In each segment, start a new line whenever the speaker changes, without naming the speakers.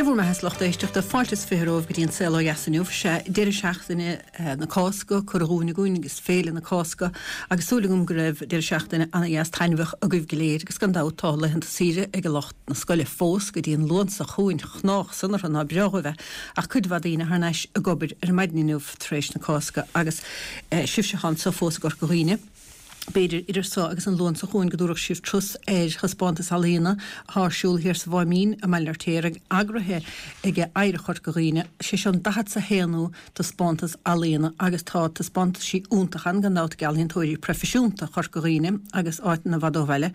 Dé bhur mbeatha a lucht éisteachta, fáilte is 20 romhaibh go dtí an Saol Ó Dheas inniu. Sea, deireadh seachtaine na Cásca curtha dhúinn againn agus Féile na Cásca agus súil agam go raibh deireadh seachtaine ana-dheas taitneamhach agaibh go léir agus gan dabht tá laethanta saoire ag lucht na scoile fós go dtí an Luan seo chugainn, chnách san orthu ná breá dhóibh é ach cuid mhaith daoine thar n-ais ag obair ar maidin inniu tar éis na Cásca agus sibhse atá anso fós i gCorca Dhuibhne. B'fhéidir idir so agus an Luan seo chugainn go dtabharfadh sibh turas ar thaispeántas ealaíona atá ar siúl thiar sa Mháimín i mBaile an Fheirtéaraigh, eagraithe ag Oidhreacht Chorca Dhuibhne. Sé seo an daichead 's a haonú taispeántas ealaíona agus tá taispeántaisí iontacha ann gan dabht ag ealaíontóirí proifisiúnta Chorca Dhuibhne agus áiteanna i bhfad ó bhaile.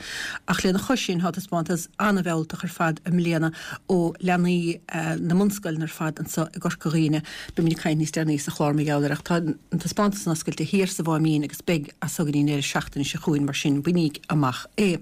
Ach lena chois sin tá taispeántas an-mhealltach ar fad i mbliana ó leanaí na mbunscoileanna ar fad anso i gCorca Dhuibhne. Beimid ag caint níos deireanaí sa chlár mar gheall air ach tá an taispeántas san oscailte thiar sa Mháimín agus beidh as so go dtí an deireadh seachtaine seo chugainn mar sin bainíg amach é.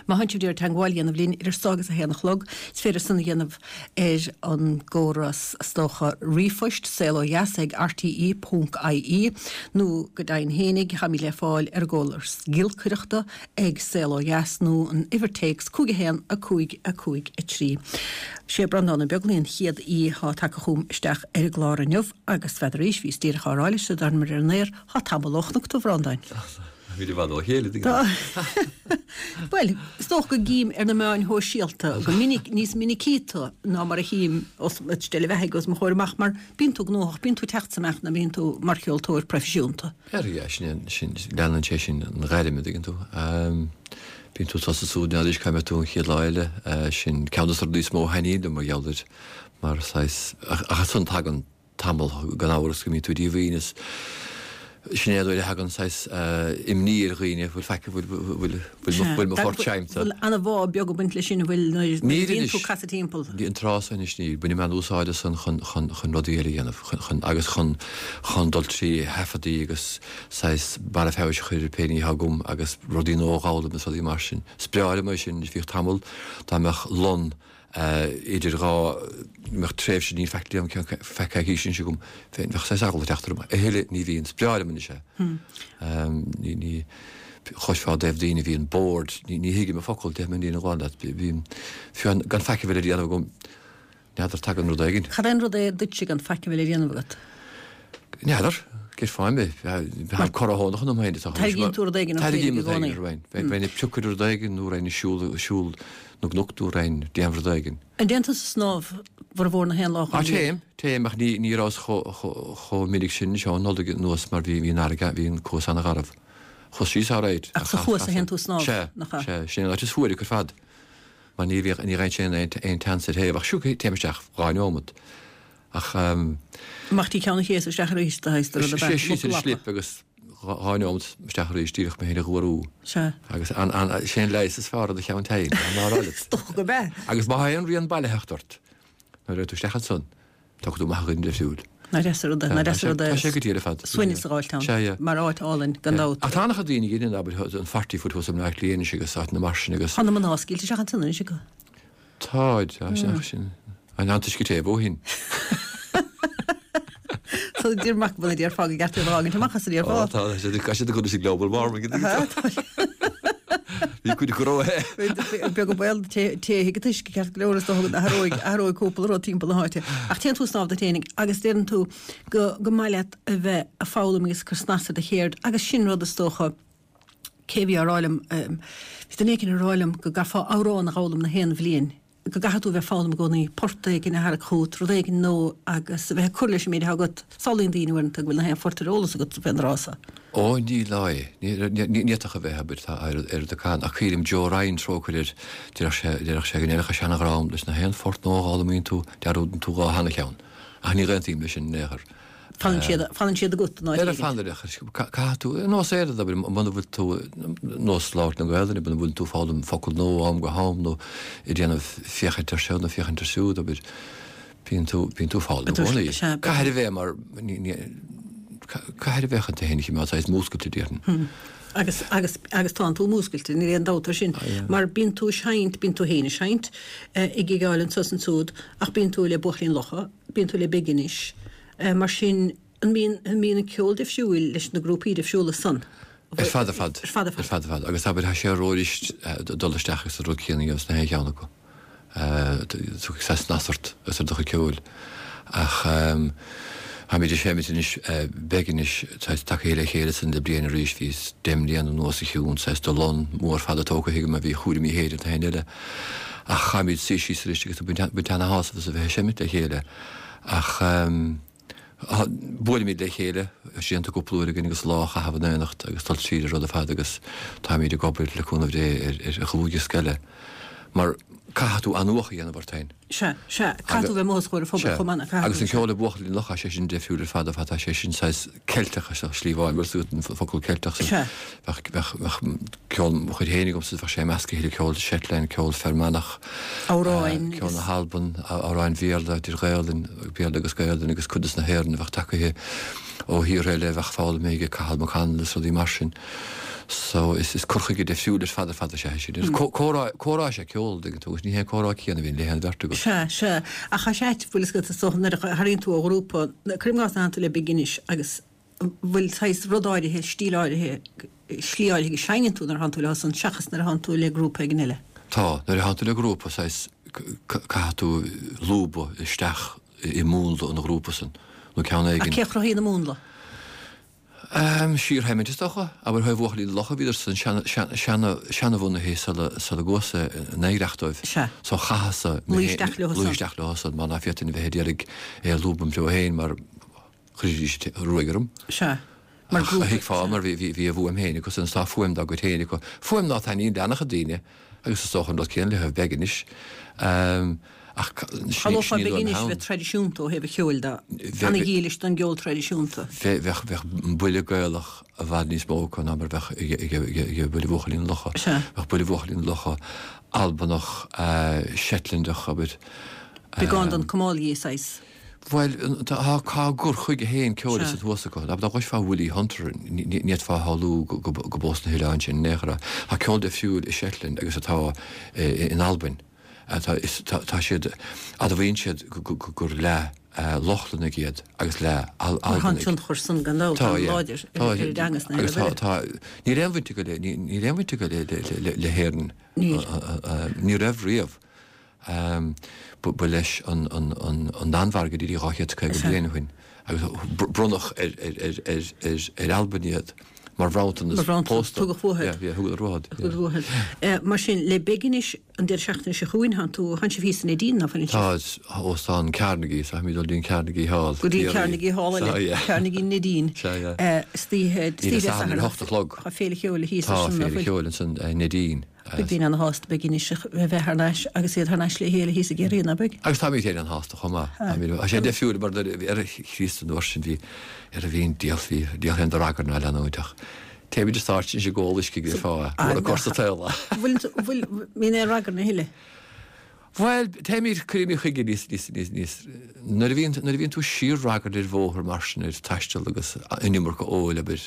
Má thánn sibh ag iarraidh teagmháil a dhéanamh linn idir so agus a haon a chlog, is féidir san a dhéanamh ar an gcóras is dócha ríomhphoist, saolodheas ag rte ponc ie, nó go deimhin fhéinig, táimid le fáil ar an gcóras giolcaireachta ag Saol Ó Dheas nó an uimhir téacs 5 1 5 5 3. Sé Breandán Ó Beaglaoi an chéad aoi atá tagtha chugam isteach ar an gclár inniu agus n'fheadar arís, bhíos díreach á rá leis sula dtarmar ar an aer, thá tamall ó chonac tú a Bhreandáin.
Bhí i bhfad ó chéile,
Tá. Bhuel, is dócha go gcím ar na meáin shóisialta go minic, níos minicí tú ná mar a chím os, steille bheathaidh os mo chomhair amach mar bíonn tú gnóthach, bíonn tú ag teacht is ag imeacht nuair a bhíonn tú mar cheoltóir proifisiúnta.
Ar yeah, sin, sin, leanann sé sin an ghairm, an dtuigeann tú. Bíonn tú tusa súd, n'fheadar cá mbeidh tú an chéad lá eile. Sin ceann de na rudaí is mó a thaitníonn liom mar gheall air, mar saghas, ach ansan tagann tamall gan amhras go mbíonn tú díomhaoin is sin é an uair a thagann saghas imní ar dhaoine, bhfuil faic, bhfuil, bhfuil, bhfuil, bhfuil mo phort seinnte.
Bhfuil an-bhá beag ag baint leis sin, an bhfuil, nuair a bhíonn tú ag casadh timpeall?
An tráth so anois níl. Bainim an-úsáid as san chun, chun, chun rudaí eile a dhéanamh, chun, chun, agus chun, chun dul trí thaifeadaí agus saghas barra feabhais a chur ar pé ní atá agam agus rudaí nua a dh'fhoghlaim is rudaí mar sin. Is breá liom é sin. Bhíodh tamall dá mbeadh lon idir dhá, mbeadh tréimhse níl faic le déanamh feadh coicíse anois agam, bheadh saghas eagla ag teacht orm. A thuilleadh ní bhíonn. Is breá liom anois é. Ní, ní, chloisfeá i dtaobh daoine a bhíonn bored, ní, ní thuigim a focal, déarfaidh mé an fhírinne ghlan leat. Bím, fiú gan faic a bheith le déanamh agam, N'fheadar, tagann rud éigin.
Cad é an rud é duitse gan faic a bheith le déanamh agat?
N'fheadar. Cén fáth mé? Bheinn corraitheach ionam féin.
Tairgíonn tú rud éigin ort féin i gcónaí.
Bheinn ag piocadh rud éigin nó bheinn ag siúl, siúl na gcnoc nó bheinn ag déanamh rud éigin.
An dtéann tusa ag snámh formhór na haon lá
den bhliain? Téim, téim ach ní, ní rabhas chomh minic sin anseo an Nollaig anuas mar bhí, bhí an fharraige, bhí an cuas an-gharbh. Chuas síos alright.
Ach sa chuas a théann tú ag snámh,
nach ea? Sea, sea, sin an áit is fuaire ar fad. mar ní bhíodh, ní raibh aon aon teannas ar thaobh ach siúd téim isteach 2 neomat ach
ehm. Amach dtí Ceann an Chéasa isteach arís do shaghas de rud ab ea?
Síos ar an slip agus 2 neomat isteach arís díreach mé féin a dh'fhuarú.
Sea.
Agus an, an, sé an leigheas is fearr do cheann tinn, ná rá leat.
Is dócha go b'ea.
Agus má tá aon rian bailitheachta ort nuair a bheidh tú isteach ansan, Tógfaidh tú amach a dhuine difriúil.
Nach deas an rud é, nach deas an rud é.
Tá sé go diail ar fad.
Suaimhneas a dh'fháilt ann.
Sea, yeah.
Mar áit álainn, gan dabht.
Ach tá an-chuid daoine ag déanamh, abair, an Forty Foot thuas i mBleá Cliath anois agus áiteanna mar sin agus.
Tá na mná scaoilte isteach ansan anois acu.
Táid, tá, sin, sin. An t-uisce te ó shin.
So deir mac bhuel a déarfá go gceart iad a fhágaint amach as a déarfá.
Ó tá, tá siad ag cur leis an global warming. Bhí cuid acu róthe.
Beag an baol téifidh an t-uisce ceart go leor is dócha go n-athróidh athróidh cúpla rud timpeall na háite. Ach téann tú ag snámh duit fhéinig agus deireann tú go go maith leat a bheith ag foghlaim agus ag cur snas ar do cheird agus sin rud is dócha cé a bhí á rá liom bhí duine éicint ag rá liom go gcaithfeá amhrán a dh'fhoghlaim na haon bhliain. go gcaithfidh tú a bheith ag foghlaim i gcónaí, port éigin a tharrac chugat, rud éigin nua agus a bheith ag cur leis an méid atá agat. Samhlaíonn daoine uaireanta go bhfuil na haon phort ar eolas agat fén dtráth so.
Ó, ní lá é. Ní fhéadfadh a bheith, abair, tá oiread acu. Ach cuimhním Joe Ryan, trócaire air, déarfadh sé, déarfadh sé go ndéanfadh a seana-ghrá leis na haon phort nua a dh'fhoghlaimíonn tú, dearúdann tú dhá sheana-cheann. Ach ní aontaím leis sin in aon chor.
Fanann siad, fanann siad agat in áit
éigin. Fanann, caithfidh tú, nós aon rud, abair, muna bhfuil tú, nós labhairt na Gaelainne, muna bhfuil tú ag foghlaim focal nua ó am go ham nó ag déanamh féachaint ar seo nó féachaint ar siúd, abair, bíonn tú, bíonn tú ag foghlaim i gcónaí. Caithfidh a bheith mar, ní, ní, caithfidh a bheith chun tú féin a choimeád saghas múscailte, déarfainn.
Agus, agus, agus tánn tú múscailte, níl aon dabht air sin, mar bíonn tú ag seinnt, bíonn tú féin ag seinnt, ag gigeáil anso is ansúd, ach bíonn tú le Buachaillí an Locha, Bíonn tú le Big anois. Mar sin, an mbíonn, an mbíonn an ceol difriúil leis na grúpaí difriúla san?
Ar fad ar fad.
Ar fad ar fad.
Ar fad ar fad. Agus abair, tá sé rófhuirist dul isteach agus an rud céanna a dhéanamh sna haon cheann acu. Tiocfaidh saghas snas ort agus ar do chuid ceoil. Ach táimid ag seimint anois, beidh anois, saghas tagtha le chéile ansan le bliain arís, bhí deich mbliana anuas a chiúin, saghas de lon mór fada tógtha agam a bhí chúraimí féin an t-aon eile. Ach chaithfimid suí síos arís agus ag baint ana-shásamh as a bheith ag seimint le chéile. Ach. Buailimid le chéile, déanta cúpla uair againn agus lá a chaitheamh in éineacht agus dul tríd an rud ar fad agus táimid ag obair, le cúnamh Dé, ar dhlúthdhiosca eile. Mar caithfidh tú athnuachan a dhéanamh ort féin.
Sea, sea. Caithfidh tú bheith amuigh os comhair an phobail chomh maith,
caithfidh tú. Agus an ceol le Buachaillí na Locha, sé sin deifriúil ar fad ar fad, tá sé sin saghas Ceilteach ar shlí amháin, bhfuil fhios agat an focal Ceilteach san.
Sea.
Bheadh, bheadh, bheadh ceol mo chuid féin agamsa, bheadh sé measctha le ceol Shetland, ceol Fear Manach,
Amhráin
ceol na hAlban, amhráin Bhéarla, idir Ghaelainn, Béarla agus Gaelainn agus cuid des na hÉireann a bheadh tagaithe ó thíortha eile a bheadh foghlamtha ag Cathal McConnell is rudaí mar sin. So is, is cur chuige deifriúil ar fad ar fad is ea é sin. Is comhrá, comhrá is ea ceol, an dtuigeann tú, agus ní hé an comhrá céanna a bhíonn le haon bheirt agat.
Sea, sea. Ach tá sé ait, bhfuil fhios agat, is dócha, nuair a tharraingíonn tú ó ghrúpa, cuirim i gcás nuair a thánn tú le Big Finish agus bhfuil saghas rud áirithe, stíl áirithe, slí áirithe go seinneann tú nuair a thánn tú leo san seachas nuair a thánn tú le grúpa éigin eile?
Tá. Nuair a thánn tú le grúpa, saghas, caithfidh tú lúbadh isteach i múnla an ghrúpa san, nó ceann éigin.
Ach cé a chruthaíonn an múnla?
Síorsheimint is dócha. Abair ó thaobh Bhuachaillí na Locha, bhíodar san seanabhunaithe sula gcuas-sa in oidhreacht dóibh.
Sea.
So chaitheas-sa
Luí isteach leo
san. Luí isteach leo san, mar ná féadfainn a bheith a d'iarraidh é a lúbadh im threo féin mar chuirfidís ruaig orm.
Sea. Mar
Ach
grúpa.
thuigfeá, mar bhí a bhfuaim féin acu san, is tá fuaim dá gcuid féin acu. Fuaim ná taitníonn le an-chuid daoine, agus is dócha an rud céanna le thaobh Beig anois. Ach
Shamhlófá
sin
Big
í an
Finish a bheith traidisiúnta ó thaobh an cheoil de, ana-dhílis don gceol traidisiúnta.
Bheadh bheadh buille Gaelach i bhfad níos mó acu ná mar a bheadh ag Buille Bhuachaillí na Locha. Bheadh Buille Bhuachaillí na Locha Albanach, Shetlandach, abair.
Beagán den Kamalie saghas.
Bhuel, tá a gcur chuige féin ceoil is thuas acu. Dá gcloisfeá Willie Hunter, ní fhéadfá a shamhlú go b'ós na hoileáin sin in aon chor é. Tá ceol difriúil i Shetland agus atá in Albain. Tá siad, admhaíonn siad gur leath Lochlannaigh iad agus leath
Albanaigh. Tá an tionchar san gan dabht an-láidir ar a dteanga sna
Agus tá, níl aon bhaint acu le, níl aon bhaint acu le hÉirinn.
Níl.
Ní raibh riamh. Ba leis an Danmhairg a d'éirigh 250 bliain ó shin agus bronnadh ar Albain iad mar bhronntanas
pósta. Tugadh uathu.
Thugadar
uathu. Mar sin, le Big Finish an deireadh seachtaine seo chugainn, thánn tú, thánn sibh thíos in Neidín, ná fuil?
Tá, óstán Carnegie, so táimid ag dul dtí an Carnegie Hall.
Go dtí an Carnegie Hall eile, Carnegie Neidín.
Sea, yeah.
Istoíche,
istoíche Dé Sathairn ar a hocht a chlog.
Tá féile cheoil thíos
ansin, ná fuil? Tá féile cheoil ansan i Neidín.
Beidh daoine ana-shásta Big Finish a bheith thar n-ais agus iad thar n-ais le chéile thíos i gCiarraí, ná beidh?
Agus táimid féin an-shásta chomh maith. Tá sé deifriúil mar nuair a bhí ar Chríost an uair sin bhí ar a bhí an diabhal bhí diabhal féin de ragairne á leanúint ach téimid ar stáitse anois ag ól uisce go fáth mura cur sa tsaol
é. Bhfuil, bhfuil, mbíonn aon ragairne a thuilleadh?
Bhuel, téimid, cuirimid chuige níos, níos, níos, níos, nuair a bhíonn, nuair a bhíonn tú síor-ragairne ar bhóthar mar sin ar taisteal agus an iomarca óil, abair,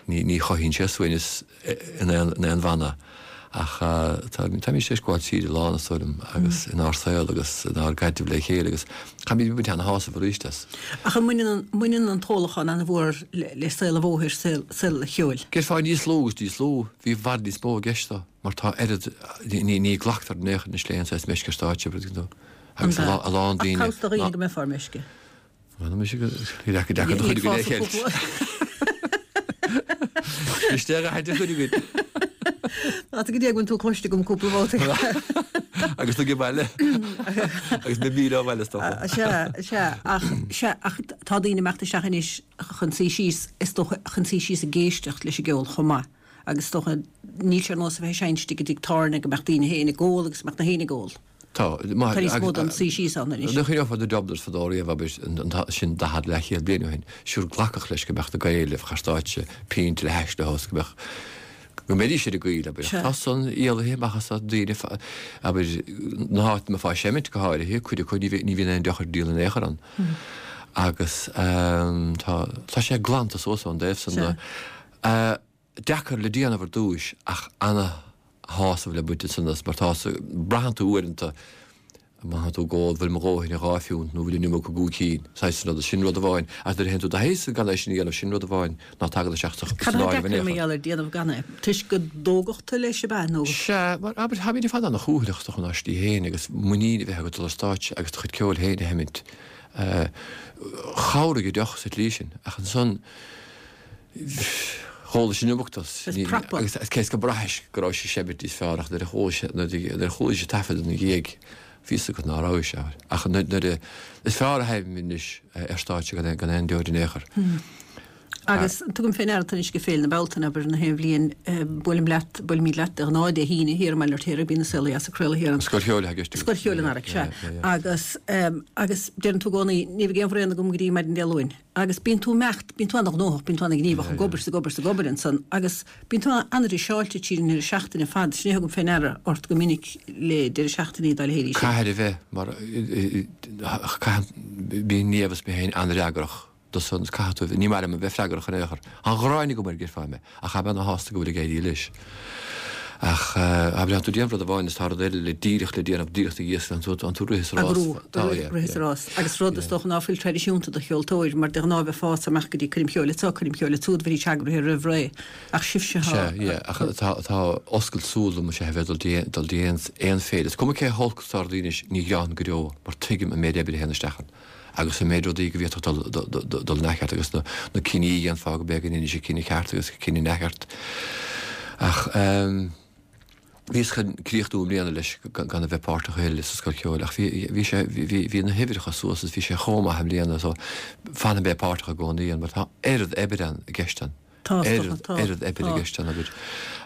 ní, ní chothaíonn sé suaimhneas in aon, in aon bhanna. Ach tá, táimid tar éis gabháil tríd a lán, is dóigh liom, agus inár saol agus inár gcaidreamh le chéile agus táimid ag baint ana-shásamh arís as.
Ach an mbaineann an, mbaineann an t-ólachán an-mhór le, le saol an bhóthair, saol, saol an cheoil?
Déarfá níos lú agus níos lú, bhí i bhfad níos mó i gceist dó. Mar tá oiread, ní ghlactar in aon chor anois le haon saghas meisce ar stáitse, an dtuigeann tú. Agus a lán
daoine. Ach cabhsa do dhaoine go mbeifeá ar meisce.
Bhuel, mise go deacair deacair do chuid againn é a cheilt. Isteach a haite chuid againn.
Tá go dtí go bhfuil tú cloiste agam cúpla babhta.
Agus tú ag baile. Agus mé míle ó bhaile is dócha.
Sea, sea, ach, sea, ach tá daoine ag imeacht isteach anois chun suí síos, is dócha, chun suí síos ag éisteacht leis an gceol chomh maith. Agus is dócha, níl sé ar nós a bheith ag seinnt istigh i dtigh tábhairne go mbeadh daoine féin ag ól agus go mbeadh na héinne ag ól.
Tá.
Tá níos mó den suí síos ann
anois. Nuair a chuimhneofá na Dubliners fadó riamh, abair, sin daichead leathchéad bliain ó shin, siúr glacadh leis go mbeadh na Gaeil a bheadh ar stáitse, pínt le hais leo is go mbeadh, go mbeidís ar a gcaoi, abair. Tá san éalaithe amach as daoine, abair, na háiteanna a mbeifeá ag seimint go háirithe, cuid acu ní bhíonn aon deoch ar díol in aon chor ann. Agus tá, tá sé glanta suas ón dtaobh san de. Deacair le déanamh ar dtúis ach ana-shásamh le baint ansan as mar tá, braitheann tú uaireanta. Má tá tú ag ól, bhfuil mo dhóthain ar dhá phiúnt nó bhfuil an iomarca i gcúig cinn? Saghas rud, sin rud amháin. Ach nuair a théann tú do thaos gan é sin a dhéanamh, sin rud amháin ná tagann isteach san
Cad atá
áireamh in
deacair
aon
mar
chor.
gheall ar déanamh gan é? Toisc go dtógfadh tú leis, ab ea, nó?
Sea, mar abair, táimid ar fad ana-chúthaileach is dócha inár slí féin agus muinín a bheith agat dul ar stáitse agus do chuid ceoil féin a sheimint. Chabhraigh an deoch sa tslí sin, ach ansan, Dh'ólais an iomarca agus cé is go mbraithis go raibh sé seimint níos fearr ach nuair a chualaís an taifead ina dhiaidh bhí fhios agat ná raibh sé. Ach nuair a, is fearr a sheinnim anois ar stáitse gan aon deoir in aon chor.
Agus tugaim fé ndeara anois ag Féile na Bealtaine, abair, na haon bhliain, buailim leat, buailimid leat de ghnáth Dé hAoine thiar i mBaile an Fheirtéaraigh, bíonn an Saol Ó Dheas ag craoladh thiar ann.
Scoil Cheoil atá i gceist agat.
Scoil Cheoil an Earraigh, sea. Agus, agus deireann tú i gcónaí, ní bheidh aon bhraon agam go dtí maidin Dé Luain. Agus bíonn tú imeacht, bíonn tú ana-ghnóthach, bíonn tú ana-ghníomhach ag obair 's ag obair 's ag obair ansan agus bíonn tú ana-raiseáilte tríd an ndeireadh seachtaine ar fad. Sin é a thugaim fé ndeara ort go minic le deireadh seachtainí dá leithéidí
sin. Caithfidh a bheith mar caitheann, bíonn Niamh is mé féin an-fhreagrach do san is caithfidh tú a bheith, ní maith liom a bheith freagrach in aon chor. Tá an ghráin agam air déarfá mé ach tá mé ana-shásta go bhfuil ag éirí leis. Ach abair tá tú ag déanamh rud amháin is tá rud eile le díreach le déanamh díreach ina dhiaidh san, tá tú ag rith sa rás.
Tá, yeah, rith sa rás. Agus rud is dócha ná fuil traidisiúnta do cheoltóir, mar de ghnáth bheifeá ag imeacht go dtí coirm cheoil anso, coirm cheoil ansúd, bheidís eagraithe roimh ré. Ach sibhse
tá. Sea, yeah, ach tá, tá oscailt súl dom is ea a bheith ag dul dul dtí aon, aon féile. Is cuma cé holc is atá rudaí anois, ní ghearrfainn go deo mar tuigim an méid oibre a théann isteach ann. agus an méid rudaí go bhféadfadh dul in athcheart agus na cinní a dhéanfá go b'é go ndéanfaidís an cinneadh ceart agus an cinneadh neamhcheart. Ach bhíos chun críochnú i mbliana leis gan a bheith páirteach a thuilleadh sa Scoil Cheoil ach bhí sé, bhí na huimhreacha suas is bhí sé chomh maith i mbliana so fanfaidh mé páirteach i gcónaí ann mar tá oiread oibre ann i gceist ann.
Tá, is dócha, tá,
oiread oibre i gceist ann abair.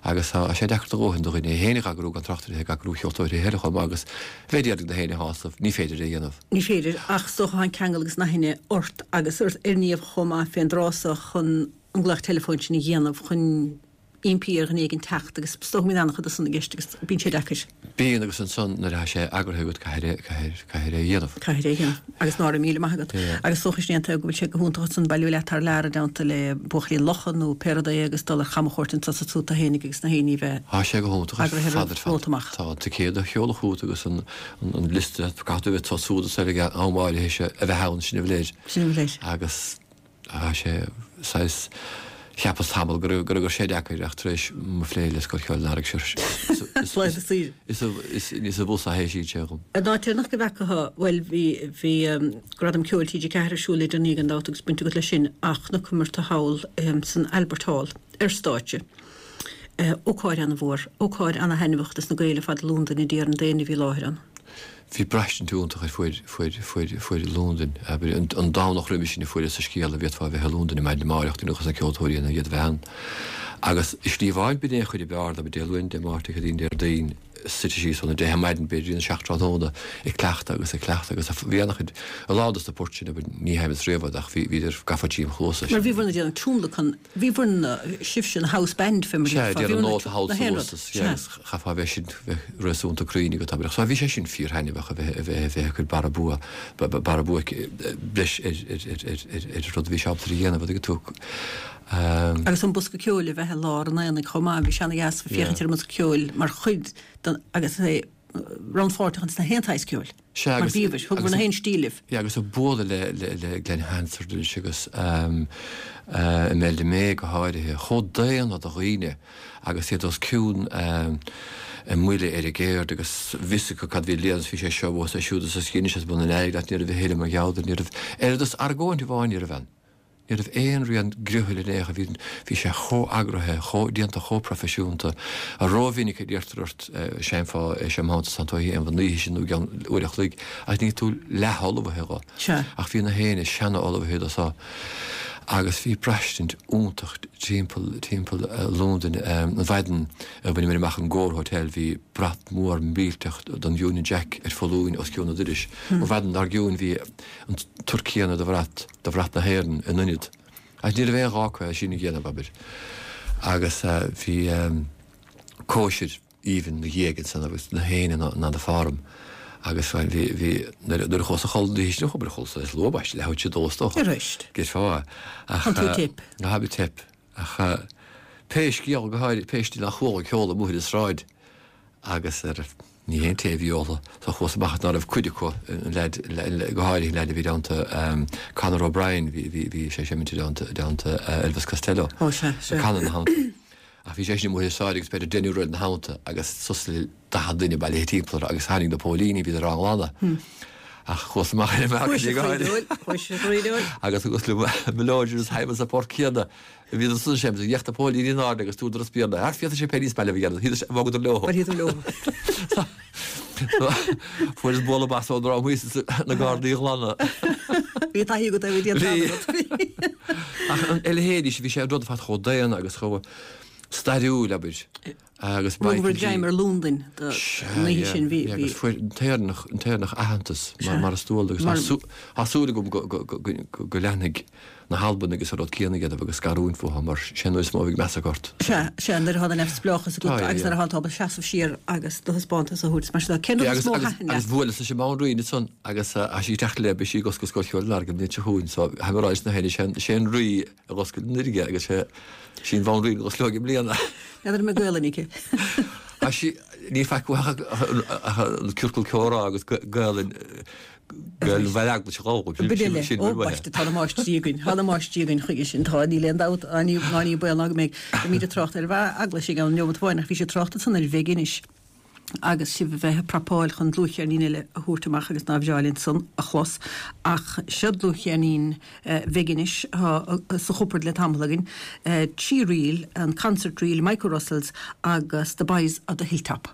Agus tá sé deacair do dhóthain do dhuine é féin a eagrú gan trácht ar a bheith ag eagrú cheoltóirí eile chomh maith agus bheith d'iarraidh na héinne a shásamh, ní féidir é a dhéanamh.
Ní féidir, ach is dócha tá an ceangal agus an aithne ort agus ar Niamh chomh maith fén dtráth so chun an glaoch teileafóin sin a dhéanamh chun impí ar dhuine éigin teacht agus is dócha go mbíonn an-chuid de san i gceist agus bíonn sé deacair.
Bíonn agus ansan nuair atá sé eagraithe agat caithfidh caithfidh é a dhéanamh.
Caithfidh é a dhéanamh agus ná raibh míle maith agat. Agus is dócha sin é an taobh go bhfuil sé go hiontach ansan bailiú leat thar lear i dteannta le buachaillí an locha nó pé rud é agus dul ar chamchuairt anso is ansúd tú fhéinig agus na héinní a bheith
Tá sé go hiontach ar
eagraithe
fad ar fad.
romhat amach.
Tá an ticéad a sheoladh chugat agus an an liosta caithfidh tú a bheith ansúd is ag am áirithe sé a bheith ann sin a bhfuil air.
Sin a bhfuil air.
Agus. Tá sé saghas, cheapas tamall go raibh go raibh sé deacair ach tar éis mo phlé le Scoil Cheoil an Earraigh seo
Laethanta saoire.
is níos abhus a théann sé dhom.
An áit deireanach go bhfeaca thú, bhuel bhí bhí Gradam Ceoil TG4 ar siúl le déanaí gan dabht agus baint agat leis sin ach chonaiceamar tú thall san Albert Hall ar stáitse. Ócáid ana-mhór, ócáid ana-thaitneamhach dos na Gaeil ar fad i Londain a déarfainn d'éinne a bhí i láthair ann.
Bhí braistint iontach ar fuaid, fuaid, fuaid, fuaid Londain. Abair, an, an Domhnach roimhe sin a fuaireas an scéal an bhféadfá a bheith i Londain ar maidin amárach, duine dos na ceoltóirí ina iad a bheith ann. Agus i slí amháin b'in é an chuid ab fhearr de, Dé Luain, Dé Máirt, Dé Céadaoin, Déardaoin, suite síos óna deich ar maidin, b'fhéidir, go dtí a seacht tráthnóna, ag cleachtadh agus ag cleachtadh agus bhí an-chuid, a lán dos na poirt sin, abair, ní sheinneas riamh iad ach bhí, bhíodar gafa tríom chluasa.
Mar bhíobhair-ne ag déanamh tionlacan Bhíobhair na, sibhse an house band fé mar
Sea,
a déarfá.
déanamh
Bhíobhair
nóta thall
na
sa
haon rud.
bhus,
Sea.
agus chaithfeá a bheith sin, bheith réasúnta cruinn agat, abair. So bhí sé sin fíorthaitneamhach a bheith, a bheith, a bheith ag cur barra bua, barra bua breis ar, ar, ar, ar, ar, ar an rud a bhí sé ábalta a dhéanamh, an dtuigeann tú.
Agus an bosca ceoil a bheith i lár an aonaigh chomh maith, bhí sé ana-dheas féachaint ar an mbosca ceoil mar chuid den, agus é rannpháirteach ins na haon tsaghas ceoil.
Sea,
Mar
agus,
bhíobhair, thugabhair
agus,
na haon stíl libh.
yeah, agus ag bualadh le, le, le Glen Hansard anois agus ehm, eh, Imelda May go háirithe, chomh daonna do dhaoine agus iad os cionn ehm, a mbuille ar a gceird agus bhí fhios acu cad bhí le déanamh, bhí sé seo thuas é siúd is is dheinis as bun an airgid leat, ní raibh a thuilleadh mar gheall air, ní raibh oiread is argóint amháin ní raibh ann. Ní raibh aon rian griothaill in aon chor, bhí, bhí sé chomh eagraithe, chomh, déanta chomh proifisiúnta. Rómhinic a d'iarrtar ort seinnfeá é seo mar shampla tá tú a dhéanamh an oíche sin nó i gceann uair a chloig ach níl tú leath-ullmhaithe dho.
Sea.
Ach bhí na héinne seana-ullmhaithe do so. Agus bhí braistint iontach timpeall, timpeall Londain. An mhaidin a bhaineamar amach an Gore Hotel bhí brat mór millteach don Union Jack ar foluain os cionn an dorais. An mhaidin dár gcionn bhí an tsórt céanna de bhrat, de bhrat na hÉireann in ionad. Ach ní raibh aon ghá acu é sin a dhéanamh, abair. Agus bhí cóisir aoibhinn 'na dhiaidh ansan agus na héinne in ann a farm. Agus bhí, bhí, nuair a chuas a chodladh an oíche sin, abair, chodlas is luath, ambaiste, leathuair tar éis a dó is dócha.
Arís.
Déarfá. Ach.
An tú teip.
Ná bí teip. Ach pé scéal, go háirithe, pé scéal nár chuala ceol amuigh ar an sráid agus ar. Ní haon tae a bhí óltha so chuas amach ná raibh cuid acu, an leaid, go háirithe an leaid a bhí i dteannta Conor O'Brien, bhí, bhí, bhí sé ag seimint i dteannta, i dteannta Elvis Costello.
Ó sea, sea.
Ag canadh ina theannta. Ach bhí seisean amuigh ar sáid agus b'fhéidir deichniúr eile ina theannta agus suas le 40 duine bailithe timpeall orthu agus tháinig na póilíní, bhíodar á nglanadh. Ach chuas amach ar an mbalcony ag gáire.
Chuais a chroí
Agus thugas liom mo leoid agus thaim sa pháirc chéanna. Bhíodar san seimint, d'fhéach na póilíní in airde agus dúradar os Béarla, Thar féadfaidh sé pé níos maith libh a dhéanamh, shíl sé, bhogadar leo.
Bhíodar leo.
Fuaireas bualadh bas ón dream thíos na gardaí a ghlanadh.
Bhí taithí agat ar bhí
Bhí. Ach a leithéidí, bhí sé an rud ar fad chomh daonna agus chomh stairiúil, abair. Agus
Michael Rugadh greim ar Londain don oíche sin. Bhí.
Agus fuair an tÉireannach an tÉireannach aitheantas mar is dual agus tá súil agam go leanfaidh na hAlbanaigh agus an rud céanna a dhéanamh agus scarúint fúthu mar sin an uair is mó a bheidh meas acu ort.
Sea, sea, nuair atá an neamhspleáchas agat agus nuair atá tú ábalta seasamh siar agus do thaispeántas a thabhairt. Mar sin, cén rud is mó a thaitin leat?
Agus bhuaileas leis an mBanríon ansan agus tá sí ag teacht léi, beidh sí ag oscailt Scoil Cheoil an Lorgain an bhliain seo chugainn so tháim ag rá leis na héinne, sé an Rí a dh'oscail anuraidh é agus sé sí an Bhanríon a dh'osclóidh i mbliana.
N'fheadar an mbeidh Gaelainn aici.
Tá sí, ní faic uaidh ach an ciorcal comhrá agus Gaelainn, Gaelainn Bhaile Eaglais a dh'fhoghlaim,
sin, sin, sin, Ó, baiste, tá na máistrí againn, tá na máistrí againn chuige sin, tá, níl aon dabht, ná ní, ná ní baol ná go mbeidh, beimid ag trácht ar Bhaile Eaglais i gceann neomat amháin ach bhí sé ag trácht ansan ar Mhig Inis. agus sibh a bheith ag prapáil chun dlúthcheirnín eile a thabhairt amach agus nár bhreá linn san a chlos. Ach seo dlúthcheirnín Mhig Inis atá sa chupard le tamall againn, 3 ríl, an Concert Reel, Michael Russell's agus The Boys of the Hilltop.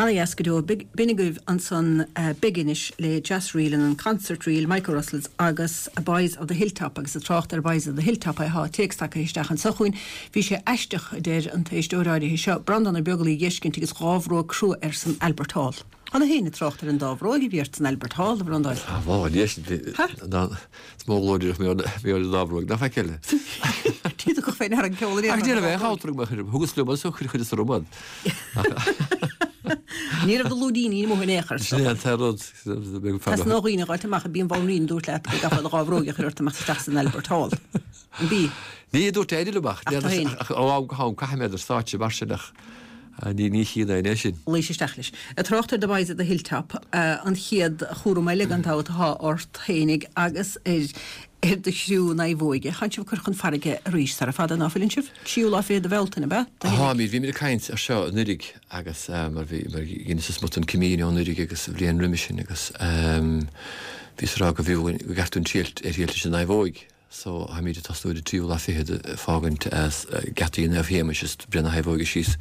Ana-dheas go deo. B'in agaibh ansan Beginish le Jazz Reel and an Concert Reel, Mike O'Russell's agus Boys of the Hilltop agus ag trácht ar Boys of the Hilltop tá téacs tagtha isteach anso chugainn. Bhí sé aisteach, a deir an t-éisteoir áirithe seo, Breandán Ó Beaglaoich a dh'fheiscint agus dhá bhróg crua air san Albert Hall. Thá na héinne ag trácht ar an dá bhróig a bhí ort san Albert Hall, a Bhreandáin.
Á, bhá, leis,
Ha?
Is mó glóir díreach mé ar an dá bhróig, nach feiceáil.
Ní dócha féin ar an gceol
ar Ach ní raibh aon chabhair agam, thugas liom as chuir chuid is a romad.
Ní raibh do lúidíní amuigh in aon chor.
Sin é an t-aon rud.
Tá sna dhaoine ag gabháilt amach a bíonn bhonn dúirt leat go gcaithfeá do dhá bhróig a chur ort amach isteach san Albert Hall. An bí?
Ní dúirt éinne liom ach ó am go ham caithim iad ar stáitse mar sin ach ní chian é sin.
Luís isteach leis. Ag trácht ar The Boys at the Hilltop, an chéad chúram eile gan dabht atá ort fhéinig agus ar ar do chriú naomhóige. Tánn sibh ag cur chun farraige arís sara fada, ná fuileann sibh? Tríú lá fichead de Bhealtaine, ab ea?
Táimid, bhímid ag caint ar seo anuiridh agus mar bhí, mar dheineas smut an Camino anuiridh agus an bhliain roimis sin agus bhíos ag rá go bhfiú go gceart dúinn triail ar thriail leis an naomhóig. So, táimid ag tosnú ar an tríú lá fichead ag fágaint as geataí Naomh Shéamais is breith na naomhóige síos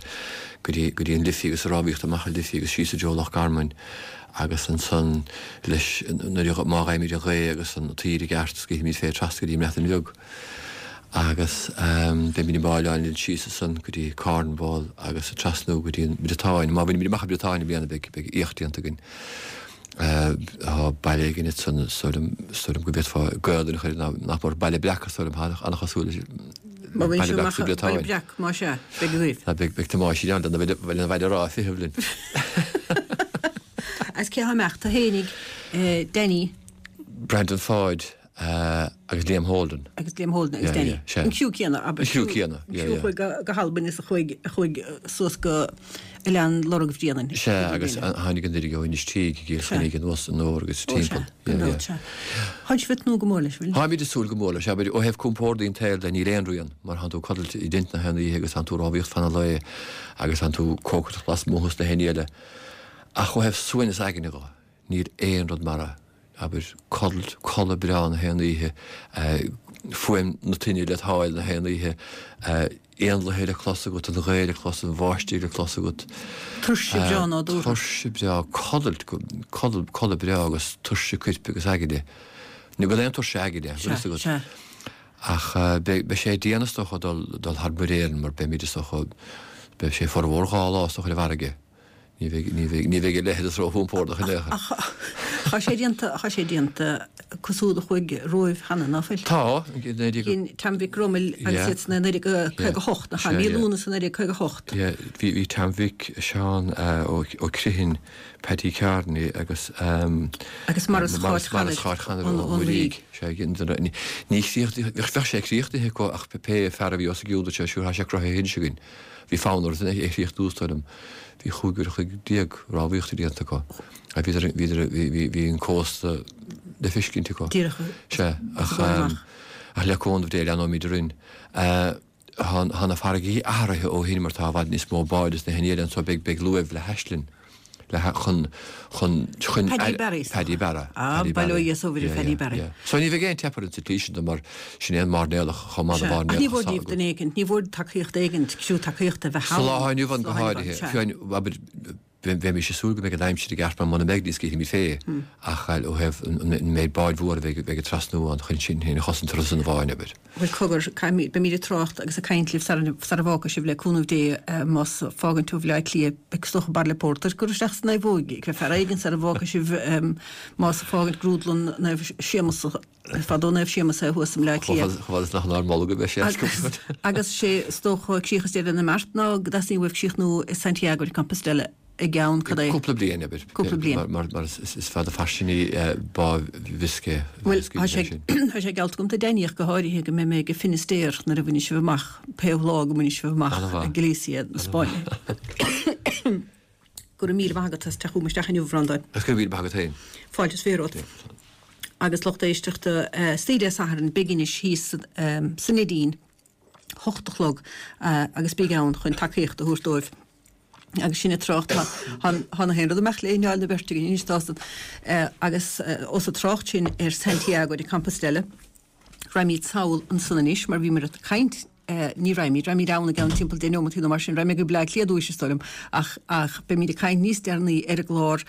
go dtí, go dtí an Liffey agus ag rámhaíocht amach an Liffey agus síos i dtreo Loch Garman agus ansan leis nuair a, má fhaighimid an ghaoth agus an taoide i gceart scaoilfimid fé trasna go dtí an mBreatain Bheag agus beimid ag máilleáil linn síos ansan go dtí Cornwall agus ag trasnú go dtí an Briotáin. Má bhainimid amach an Briotáin i mbliana beidh, beidh éacht déanta againn. Tá baile éigin ansan, is dóigh liom, is dóigh liom go bhféadfá Gaolainn a chur air, nach mór, Baile Breac, is dóigh liom, an-chosúil leis
Má bhain Baile Breac sa Bhriotáin. Baile Breac, más ea, beidh agaibh.
Tá, beidh, beidh Tomás in ann lena bhaile rá a ficheamh linn.
Agus cé thá ag imeacht? Tú fhéinig, Danny.
Breandán Pháid. Agus Liam Holden.
Agus Liam Holden agus Danny. An criú céanna,
abair. An criú céanna,
yeah, yeah. An criú a chuaigh go hAlbain is a chuaigh, a chuaigh suas go Oileán Lorg Bhréanainn.
Sea, agus a tháinig anuraidh ó Inis Tíg, i gCill Chainnigh anuas anoir agus timpeall.
Ó sea, gan dabht, sea. Tánn sibh ag tnúth go mór leis, bhfuil?
Táimid ag súil go mór leis, abair, ó thaobh compórdaí an tsaoil de, níl aon rian, mar thánn tú ag codlait i dtent na haon oíche agus thánn tú ag rámhaíocht fan an lae agus thánn tú cócaireacht lasmuigh is na haon ní eile. Ach ó thaobh suaimhneas aigne dho, Níl aon rud mar é. Abair, codlait, codladh breá na haon oíche, fuaim na toinne led sháil na haon oíche, éanlaithe le clos agat, an ghaoth le clos, an bháistigh le clos agat.
Tuirse breá nádúrtha.
Tuirse breá, codlait, codladh, codladh breá agus tuirse coirp agus aigne. Ní bhfuil aon tuirse aigne, bhfuil fhios agat.
Sea, sea.
Ach beidh, beidh sé dian is dócha dul, dul thar Muir Éireann mar beimid is dócha, beidh sé formhór dhá lá is dócha ar an bhfarraige. Ní bheidh, ní bheidh, ní bheidh a leithéid róchompordach in aon
chor. Ach tá sé déanta, tá sé déanta cosúil a chuaigh romhaibh cheana, ná fuil?
Tá,
Dhein Tom Mhic Gromail agus iad san 1958, nach ea? Mí Lúnasa 1958.
Yeah, bhí, bhí Tom Mhic, Seán Ó Criomhthain, Paddy Kearney agus
Agus Maurice
Cháit Chanair Ó Muirígh. Sea, ní chríochnaithe, bheadh sé críochnaithe acu ach pé fear a bhí os a gcionn, dúirt sé, sure, tá sé cruthaithe anois againn. Bhí fonn orthu é a chríochnú is dóigh liom. Bhí chúig uair a chloig rámhaíochta déanta acu. Bhíodar, bhíodar, bhí, bhí an cósta le feiscint acu.
Díreach
Sea, ach, ach le cúnamh Dé leanóimid orainn. Tá, tá na farraigí athraithe ó shin mar tá i bhfad níos mó báid is na haon ní eile anso beidh, beidh luaimh le haislinn. le chun, chun,
chun. Paddy Barry.
Paddy Barra.
Ah, bail ó Dhia is ó Mhuire Paddy Barry. Yeah,
yeah. So ní bheidh aon teip orainn sa tslí sin de mar sin é an mairnéalach chomh maith le
mairnéalach. Ach ní mhór daoibh duine éigint, ní mhór tacaíocht éigint, criú tacaíochta a bheith
ann. Sa lá atá inniu ann go háirithe. Fiú abair, bheimis ag súil go mbeidh an aimsir i gceart mar muna mbeidh ní scaoilfimid fé ach ó thaobh an méid báid mhór a bheidh ag trasnú ann chun sinn féin a chosaint turas an bháin, abair.
Bhuel, cogar, caithfimid, beimid ag trácht agus ag caint libh sara, sara bhfágfaidh sibh le cúnamh Dé, más fágann tú Bhaile Átha Cliath, beidh is dócha bairille pórtair ag cur isteach sa naomhóig, ag fear éigin sara bhfágfaidh sibh, más ag fágaint grúdlann Naomh Séamus, fadó Naomh Séamus é thuas i mBleá
Cliath. Chomh fada is nach inár mbolg a bheidh sé,
Agus, agus sé is dócha críoch is deireadh na mbeart ná go dteastaíonn uaibh críochnú i Santiago de Compostela i gceann cad é?
Cúpla bliain, abair.
Cúpla bliain.
Mar is fada fairsing í Bá Bhiscay.
Bhuel, tá sé tá sé geallta agam do Danny ach go háirithe go mbeidh mé ag Finisterre nuair a bhainfidh sibh amach, pé lá go mbainfidh sibh amach Galicia na Spáinne. Go raibh míle maith agat as teacht chugam isteach inniu, a Bhreandáin.
Agus go raibh míle maith agat féin.
Fáilte is fiche romhat. Agus lucht éisteachta, istoíche Dé Sathairn, Beginish thíos sa Neidín, hocht a chlog, agus bígí ann chun tacaíocht a thabhairt dóibh. Agus sinn ag trácht, tá na haon rud ag imeacht le hanáil na beirte againn anois, tá san. Agus ós ag trácht sinn ar Santiago de Compostela, raghaimid sall ansan anois mar bhíomar ag caint. Ní raghaimid, raghaimid ann i gceann timpeall 10 neomataí nó mar sin, raghaidh mé go Bleá Cliath ar dtúis is dóigh liom, ach ach beimid ag caint níos deireanaí ar an gclár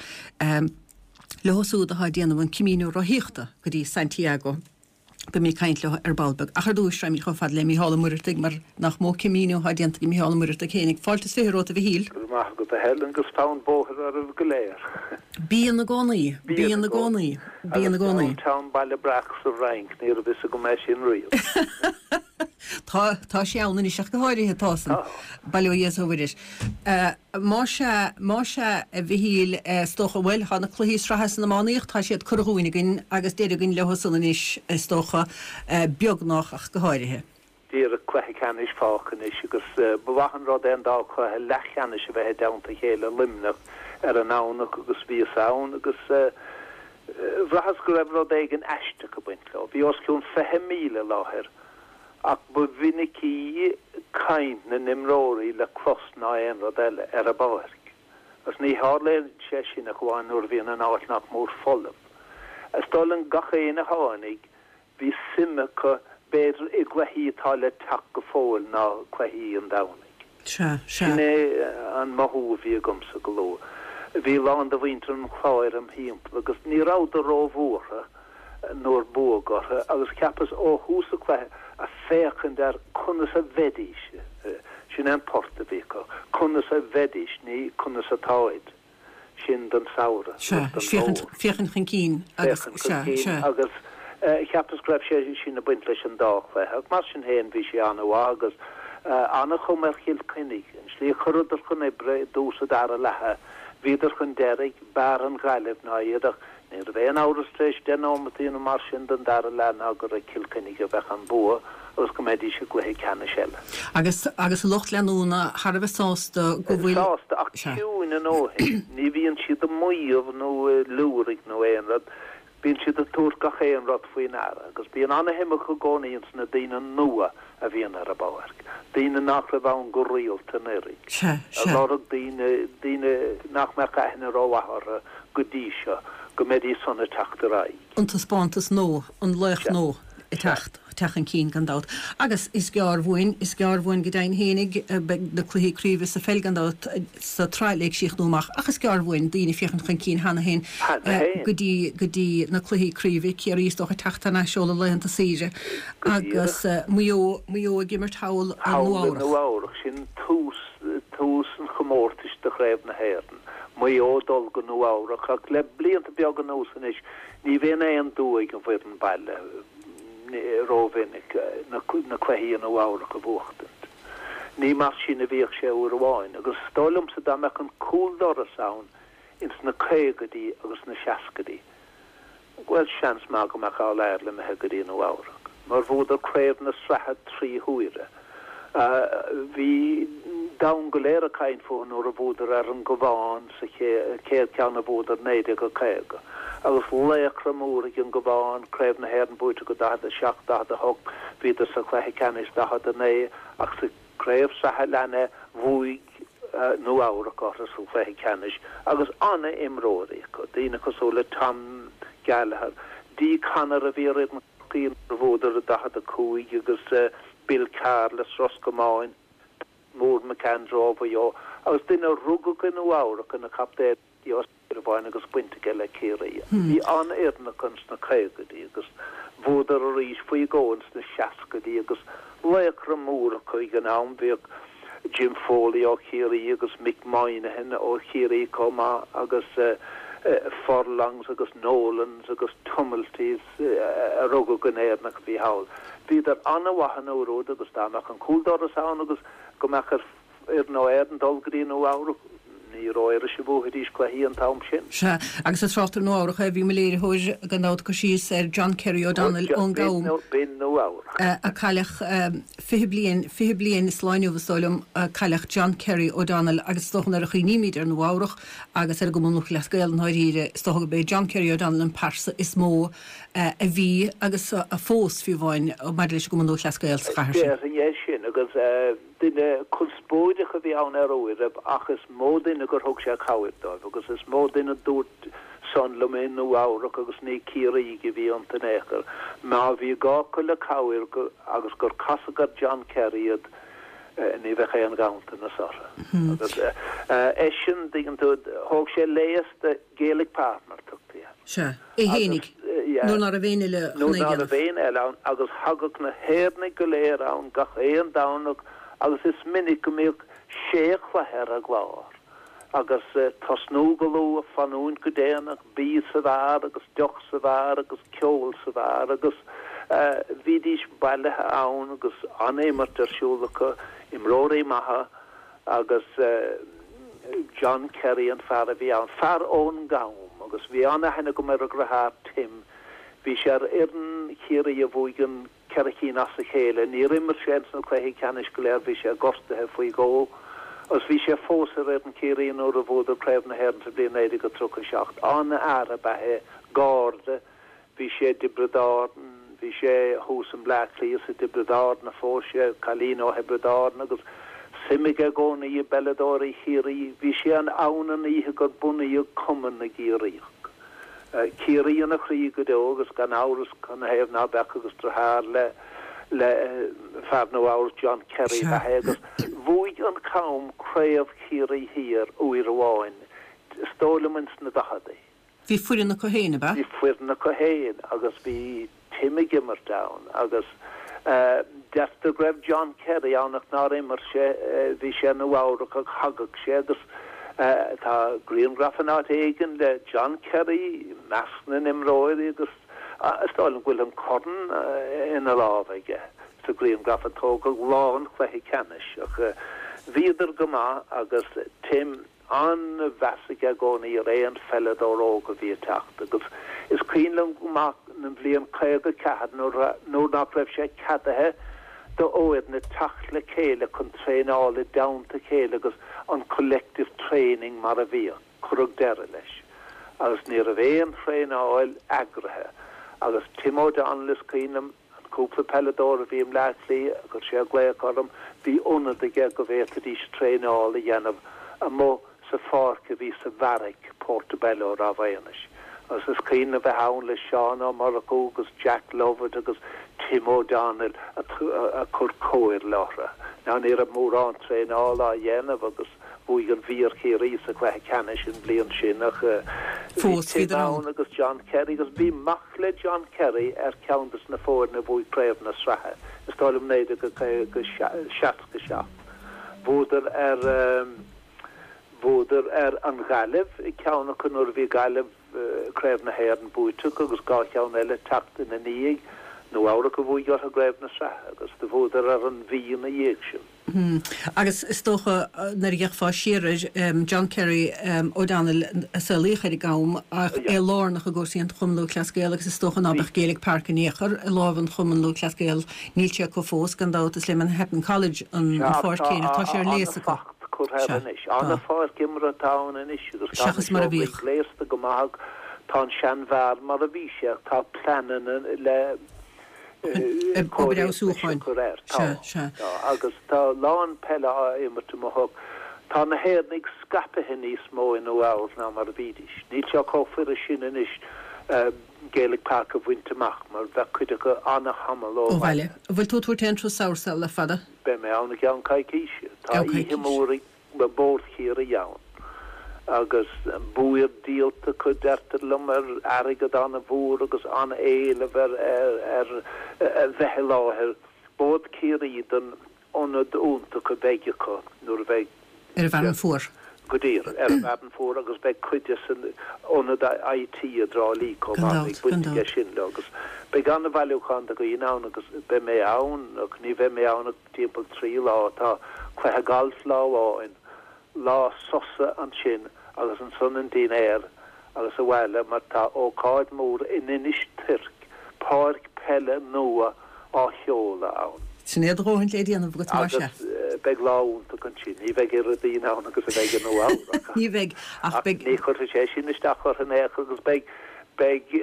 leo siúd atá ag déanamh an Camino rothaíochta go dtí Santiago. Beimid ag caint leo ar ball beag. Ach ar dtúis, raghaimid chomh fada le Mícheál Ó Muireartaigh mar nach mó Camino atá déanta ag Mícheál Ó Muireartaigh féinig. Fáilte is 20 romhat a Mhichíl.
Go raibh maith agat a Helen agus fonn bóthair oraibh go léir.
Bíonn i gcónaí. Bíonn i gcónaí. Bíonn i gcónaí.
Agus Downtown Baile Breac sa Fhrainc, ní raibh fhios agam é sin riamh.
Tá, tá sé ann anois ach go háirithe, tá san. Bail ó Dhia is ó Mhuire air. Más ea, más ea, a Mhichíl, is dócha, bhuel, tá na cluichí sraithe san iománaíocht, tá siad curtha dhúinn againn agus deireadh againn leo san anois, is dócha, beagnach ach go háirithe.
Díreach cluiche ceannais fágtha anois agus ba mhaith an rud é an dá chluiche leathcheannais a bheith i dteannta a chéile i Luimneach ar an nDomhnach agus bhíos ann agus bhraitheas go raibh rud éigin aisteach ag baint leo. Bhí os cionn 20,000 i láthair Ach ba mhinicí caint na n-imreoirí le clos ná aon rud eile ar an bpáirc, agus ní tharlaíonn sé sin ach amháin nuair a bhíonn an áit nach mór folamh. Is dóigh liom gach éinne a tháinig, bhí suim acu b'fhéidir i gcluichí atá le teacht go fóill ná cluichí an Domhnaigh.
Sea, sea.
Sin é an mothú a bhí agamsa go luath. Bhí a lán de mhuintir an Chláir im thimpeall agus ní rabhadar róbhuartha nuair buadh orthu agus cheapas ó thús an chluiche a féachaint ar conas a bheidís, sin é an port a bhí acu, conas a bheidís, ní conas atáid, sin don samhradh
Sea, agus don féachaint, fómhar. féachaint chun cinn agus,
Féachaint chun sea, cinn sea. agus cheapas go raibh sé sin ag baint leis an dá chluiche ach mar sin féin bhí sé an-mhaith agus an-chuma ar Chill Chainnigh, an tslí a chuireadar chun oibre i dtús an dara leatha, bhíodar chun deiridh, b'fhearr an Ghaillimh ná iad ach Ní raibh aon amhras tar éis 10 nóimeataí nó mar sin den dara leath ná gur ag Cill Chainnigh a bheadh an bua agus go mbeidís i gcluiche ceannais eile.
Agus agus an lucht leanúna thar a bheith sásta go bhfuil.
Sásta ach ciúin a ndóthain. Ní bhíonn siad ag maíomh nó ag liúraigh nó aon rud. Bíonn siad ag tabhairt gach aon rud faoi ndeara agus bíonn ana-shuim acu i gcónaí ins na daoine nua a bhíonn ar an bpáirc, daoine nach raibh ann go rialta anuraidh,
Sea,
sea. ag lorg daoine, daoine nach mbeadh aithne rómhaith orthu go dtí seo, go mbeidís san ag teacht ar aghaidh.
An taispeántas nua, an laoch
Sea,
nua ag
sea.
teacht, teacht chun cinn gan dabht. Agus is gearr uainn, is gearr uainn go deimhin fhéinig, beidh na cluichí craoibhe sa pheil gan dabht sa tsraith le críochnú amach ach is gearr uainn daoine ag féachaint chun cinn cheana féin
Cheana féin.
go dtí, go dtí na cluichí craoibhe, Ciarraí is dócha ag teacht thar n-ais ó na laethanta saoire.
Go
Agus
díreach.
Maigh Eo, Maigh Eo ag imirt thall i
Thall i
Nua-Eabhrac.
Nua-Eabhrac. Sin tús, tús an chomórtais do Chraobh na hÉireann. Maigh Eo ag dul go Nua-Eabhrac ach le blianta beaga anuas anois ní bhíonn aon dua ag an bhfoireann baile rómhinic na cluichí i Nua-Eabhrac a bhuachtaint. Ní mar sin a bhíodh sé uair amháin agus is dóigh liomsa dá mbeadh an cúldoras ann ins na caogaidí agus na seascaidí, Bhuel, seans maith go mbeadh All Ireland imithe go dtí Nua Eabhrac, mar bhuadar craobh na sraithe 3 huaire. Bhí domhan go léir ag caint fúthu nuair a bhuadar ar an gCabhán sa chéad cheann a bhuadar 1950. Agus laochra mór ag an gCabhán, craobh na hÉireann buaite acu 47, 48, bhíodar sa chluiche ceannais 49 ach sa Craobh sraithe a lean é, bhuaigh Nua Eabhrac orthu sa chluiche ceannais agus an-imreoirí acu, daoine cosúil le Tom Gallagher, Dee Connor a bhí ar fhoireann Chorcaí nuair a bhuadar i 45 agus Bill Carr as Ros Comáin, Pat Mór McAndrew ó Mhaigh Eo agus duine a rugadh i Nua Eabhrac ina chaptaen Ó Súilleabháin agus baint aige le Ciarraí. Bhí an-fhoireann acu ins na caogaidí agus bhuadar arís faoi dhó ins na seascaidí agus laochra mór acu ag an am. Bhíodh Jim Foley ó Chiarraí agus Mick Moynihan ó Chiarraí chomh maith agus Furlongs agus Nolans agus Tumiltys a rugadh in Éirinn ach a bhí thall. Bhíodar an-mhaith an uair úd agus dá mbeadh an cúldoras ann agus go mbeadh ar fhoireann ó Éirinn dul go dtí Nua Eabhrac. Ní ró-fhuirist a bhuafaidís cluichí an t-am sin.
Sea, agus ag trácht ar Nua Eabhrac, bhí mo léiritheoir gan dabht ag cur síos ar John Kerry O'Donnell ón gCam.
B'in Nua Eabhrac.
A cailleadh 20 bliain, 20 bliain is lá inniu is dóigh liom, a cailleadh John Kerry O'Donnell agus is dócha nuair a chuimhnímid ar Nua Eabhrac agus ar an gCumann Lúthchleas Gael i ndáiríre, is dócha gurb é John Kerry O'Donnell an pearsa is mó a bhí agus fós, fiú amháin, maidir leis an gCumann Lúthchleas Gael sa chathair sin.
Déarfainn é sin agus. Duine conspóideach a bhí ann ar uairibh ach is mó duine gur thug sé cabhair dóibh agus is mó duine a dúirt san liom i Nua Eabhrac agus ní Ciarraígh a bhí iontu in aon chor. Má bhí gá acu le cabhair agus gur casadh ar John Kerry iad, ní bheadh aon ghanntanas orthu. Agus eisean, dtuigeann tú, thóg sé léas de Gaelic Park mar tugtaí air.
Sea, é fhéinig, nuair ná raibh éinne eile
chun é a dhéanamh. Nuair ná raibh éinne eile ann, agus thagadh na hÉireannaigh go léir ann gach aon Domhnach agus is minic go mbíodh sé chluiche ar an gclár, agus tosnú go luath, fanúint go déanach, bia sa bheár agus deoch sa bheár agus ceol sa bheár agus bhídís bailithe ann agus an-imirt ar siúl acu, imreoirí maithe agus John Kerry an fear a bhí ann, fear ón gCam agus bhí an-aithne agam ar a dheartháir Tim, bhí sé ar fhoireann Chiarraí a bhuaigh an 4 cinn as a chéile. Níor imir sé ins na cluichí ceannais go léir, bhí sé gortaithe faoi dhó agus bhí sé fós ar fhoireann Chiarraí nuair a bhuadar Craobh na hÉireann sa bhliain 1937. An-fhear ab ea é, Garda, bhí sé i dTiobraid Árann, bhí sé thuas i mBleá Cliath is i dTiobraid Árann a phós sé, cailín ó Thiobraid Árann agus suim aige i gcónaí i bpeileadóirí Chiarraí. Bhí sé ann an oíche gur bunaíodh Cumann na gCiarraíoch. Ciarraí ina chroí go deo agus gan amhras canathaobh ná beadh agus deartháir le le fear Nua Eabhrac John Kerry ab ea é agus bhuaigh an Cam Craobh Chiarraí Thiar uair amháin is dóigh liom ins na daicheadaí.
Bhí foireann acu féin, ab
ea? Bhí foireann acu féin agus bhí Tim ag imirt ann agus deirtear go raibh John Kerry ann ach nár imir sé, bhí sé i Nua Eabhrac ach thagadh sé agus tá grianghraf in áit éigin le John Kerry i measc na n-imreoirí agus is dóigh liom go bhfuil an corn ina lámh aige sa ghrianghraf a tógadh lá an chluiche ceannais ach bhíodar go maith agus Tim an-mheas aige i gcónaí ar aon pheileadóir óg a bhí ag teacht agus is cuimhin liom go maith an bhliain 54 nuair nuair nach raibh sé ceadaithe do fhoirne teacht le chéile chun traenáil i dteannta a chéile agus an collective training mar a bhíodh, cuireadh deireadh leis agus ní raibh aon thraenáil eagraithe agus Tim O'Donnell is cuimhin liom An cúpla peileadóir a bhí i mBleá Cliath, chuir sé glaoch orm, bhí ionad aige go bhféadfaidís traenáil a dhéanamh amuigh sa pháirc a bhí sa bheairic, Portobello, i Ráth Mhaonais. Agus is cuimhin liom bheith ann le Seán Ó Murchú agus Jack Lovett agus Tim O'Donnell ag cur comhairle orthu. Now ní raibh mórán traenála á dhéanamh agus Bhuaigh an Mhí ar Chiarraí sa chluiche ceannais an bhliain sin ach bhí Tim ann agus John Kerry agus bhí mac le John Kerry ar cheann des na foirne a bhuaigh Craobh na Sraithe, is dóigh liom 1967. Bhuadar ar bhuadar ar an Ghaillimh i gceann acu nuair a bhí Gaillimh Craobh na hÉireann buaite acu agus dhá cheann eile teacht ina ndiaidh, Nua Eabhrac a bhuaigh orthu i gCraobh na Sraithe agus do bhuadar ar an Mhí ina dhiaidh sin.
Agus is dócha, nuair a d'fhéachfá siar air, John Kerry O'Donnell a saolaíodh ar an gCam ach é lárnach i gcúrsaí an Chumann Lúthchleas Gael agus is dócha ná beadh Gaelic Park in aon chor i lámh an Chumann Lúthchleas Gael, níl sé acu fós, gan dabht, is le Manhattan College an pháirc chéanna, tá sé ar léas acu.
Sea, tá. An-pháirc imeartha atá ann anois agus tá na seomraí gléasta go maith ach tá an seanbheár mar a bhí sé ach tá pleananna le
Obair fheabhsúcháin.
Tá. Sea. Tá. Agus tá a lán peile á imirt amuigh. Tá na hÉireannaigh scaipthe níos mó i Nua Eabhrac ná mar a bhídís. Níl sé chomh furast sin anois Gaelic Park a bhaint amach mar bheadh cuid acu an-tamall ó
bhaile. An bhfuil tú ag tabhairt aon turas sall le fada?
Beidh mé ann i gceann coicíse. Tá oíche mhór ag Bord Chiarraí ann agus beoir díolta acu, deirtear liom, ar airgead an-mhór agus an-éileamh ar ar bheith i láthair. Bord Chiarraí don ionad iontach a bheidh acu nuair a bheidh.
Ar an bhFearann Fuar.
Go díreach, ar an bhFearann Fuar agus beidh cuid de san ionad IT i dTrá Lí chomh maith, beidh baint aige sin leo agus beidh an-bhailiúchán de dhaoine ann agus beidh mé ann ach ní bheidh mé ann ach timpeall 3 lá. Tá cluiche gailf lá amháin, lá sosa ansin agus ansan an dinnéar agus abhaile mar tá ócáid mhór in Inis Toirc, páirc peile nua á sheoladh ann.
Sin é do dhóthain le déanamh agat
mar sea. Agus beidh lá iontach ansin. Ní bheidh oiread daoine ann agus a bheidh i Nua Eabhrac
Ní bheidh, ach beidh.
Ní chuirfidh sé sin isteach orthu in aon chor agus beidh. Beidh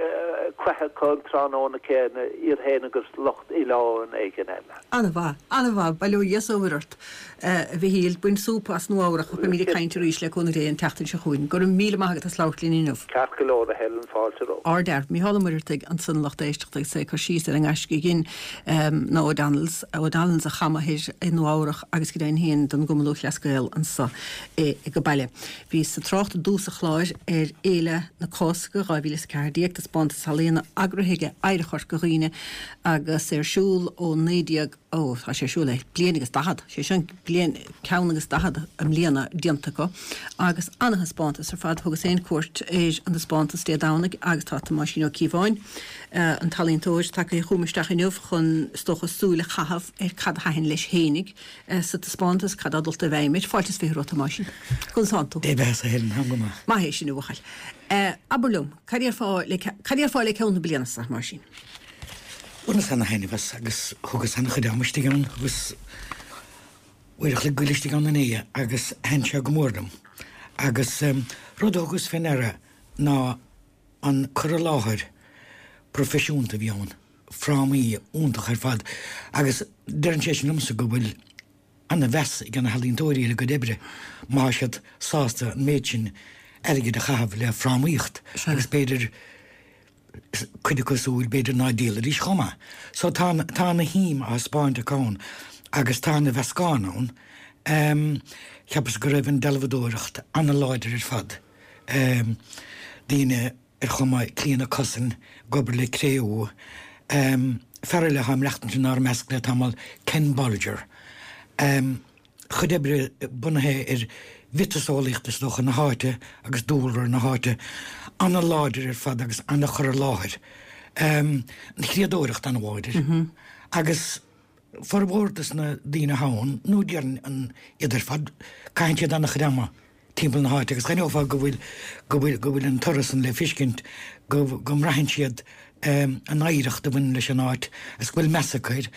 cluiche acu an tráthnóna céanna, iad féin agus lucht oileáin éigin eile.
An-mhaith, an-mhaith. Bail ó Dhia is ó Mhuire ort, a Mhichíl. Bain súp as Nua Eabhrach. Beimid ag caint arís le cúnamh Dé an tseachtain seo chugainn. Go raibh míle maith agat as labhairt linn inniu.
Ceart go leor, a Helen, fáilte romhat.
Ardfhear. Mícheál Ó Muircheartaigh ansan lucht éisteachta agus é ag cur síos ar an ngaisce a dhein na O'Donnells, O'Donnells a Chamathir i Nua Eabhrach agus go deimhin féin don gCumann Lúthchleas Gael anso i go baile. Bhíos ag trácht i dtús an chláir ar Fhéile na Cásca 2014, taispeántas ealaíona eagraithe ag Oidhreacht Chorca Dhuibhne agus é ar siúl ó 19, ó, tá sé ar siúl le bliain agus daichead, sé sin bliain, ceann agus daichead i mbliana déanta acu agus ana-thaispeántas ar fad. Thugas féin cuairt ar an taispeántas Dé Domhnaigh agus tá Tomáisín Ó Cíobháin, an t-ealaíontóir, tagtha chugam isteach inniu chun, is dócha, súil a chaitheamh ar cad a thaitin leis fhéinig. sa taispeántas, cad atá dulta i bhfeidhm air. Fáilte is 20 romhat, a Thomáisín. Conas tánn tú?
Dé beatha a Helen, táim go
maith. Maith é sin, a bhuachaill. Abair liom, cad déarfá le, cad déarfá le ceann na bliana seo, a Thomáisín?
Bhaineas ana-thaitneamh as agus thugas ana-chuid ama istigh ann, thugas uair a chloig goil istigh ann inné agus thaitin sé go mór liom. Agus rud a thugas fé ndeara ná an cur i láthair proifisiúnta a bhí ann. frámaí iontach ar fad agus deireann sé sin liomsa go bhfuil ana-mheas ag na healaíontóirí ar a gcuid oibre má tá siad sásta an méid sin airgid a chaitheamh le frámaíocht agus b'fhéidir cuid acu súil b'fhéidir ná díolfaidís chomh maith. So tá tá ana-shuim á thaispeáint acu ann agus tá ana-mheascán ann. Cheapas go raibh an dealbhadóireacht ana-láidir ar fad. Daoine ar chuma Clíona Cussen ag obair le cré-umha. Fear eile atá ag maireachtaint inár measc le tamall, Ken Bolger. A chuid oibre bunaithe ar mhiotaseolaíocht is dócha na háite agus dúlra na háite. Ana-láidir ar fad agus ana-chur i láthair. An chriadóireacht ana-láidir. Agus formhór dos na daoine atá ann, nó déarfainn iad ar fad, caitheann siad ana-chuid ama timpeall na háite agus d'aithneofá go bhfuil, go bhfuil, go bhfuil an toradh san le fiscint, go, go mbraitheann siad an oidhreacht a bhaineann leis an áit agus go bhfuil meas acu air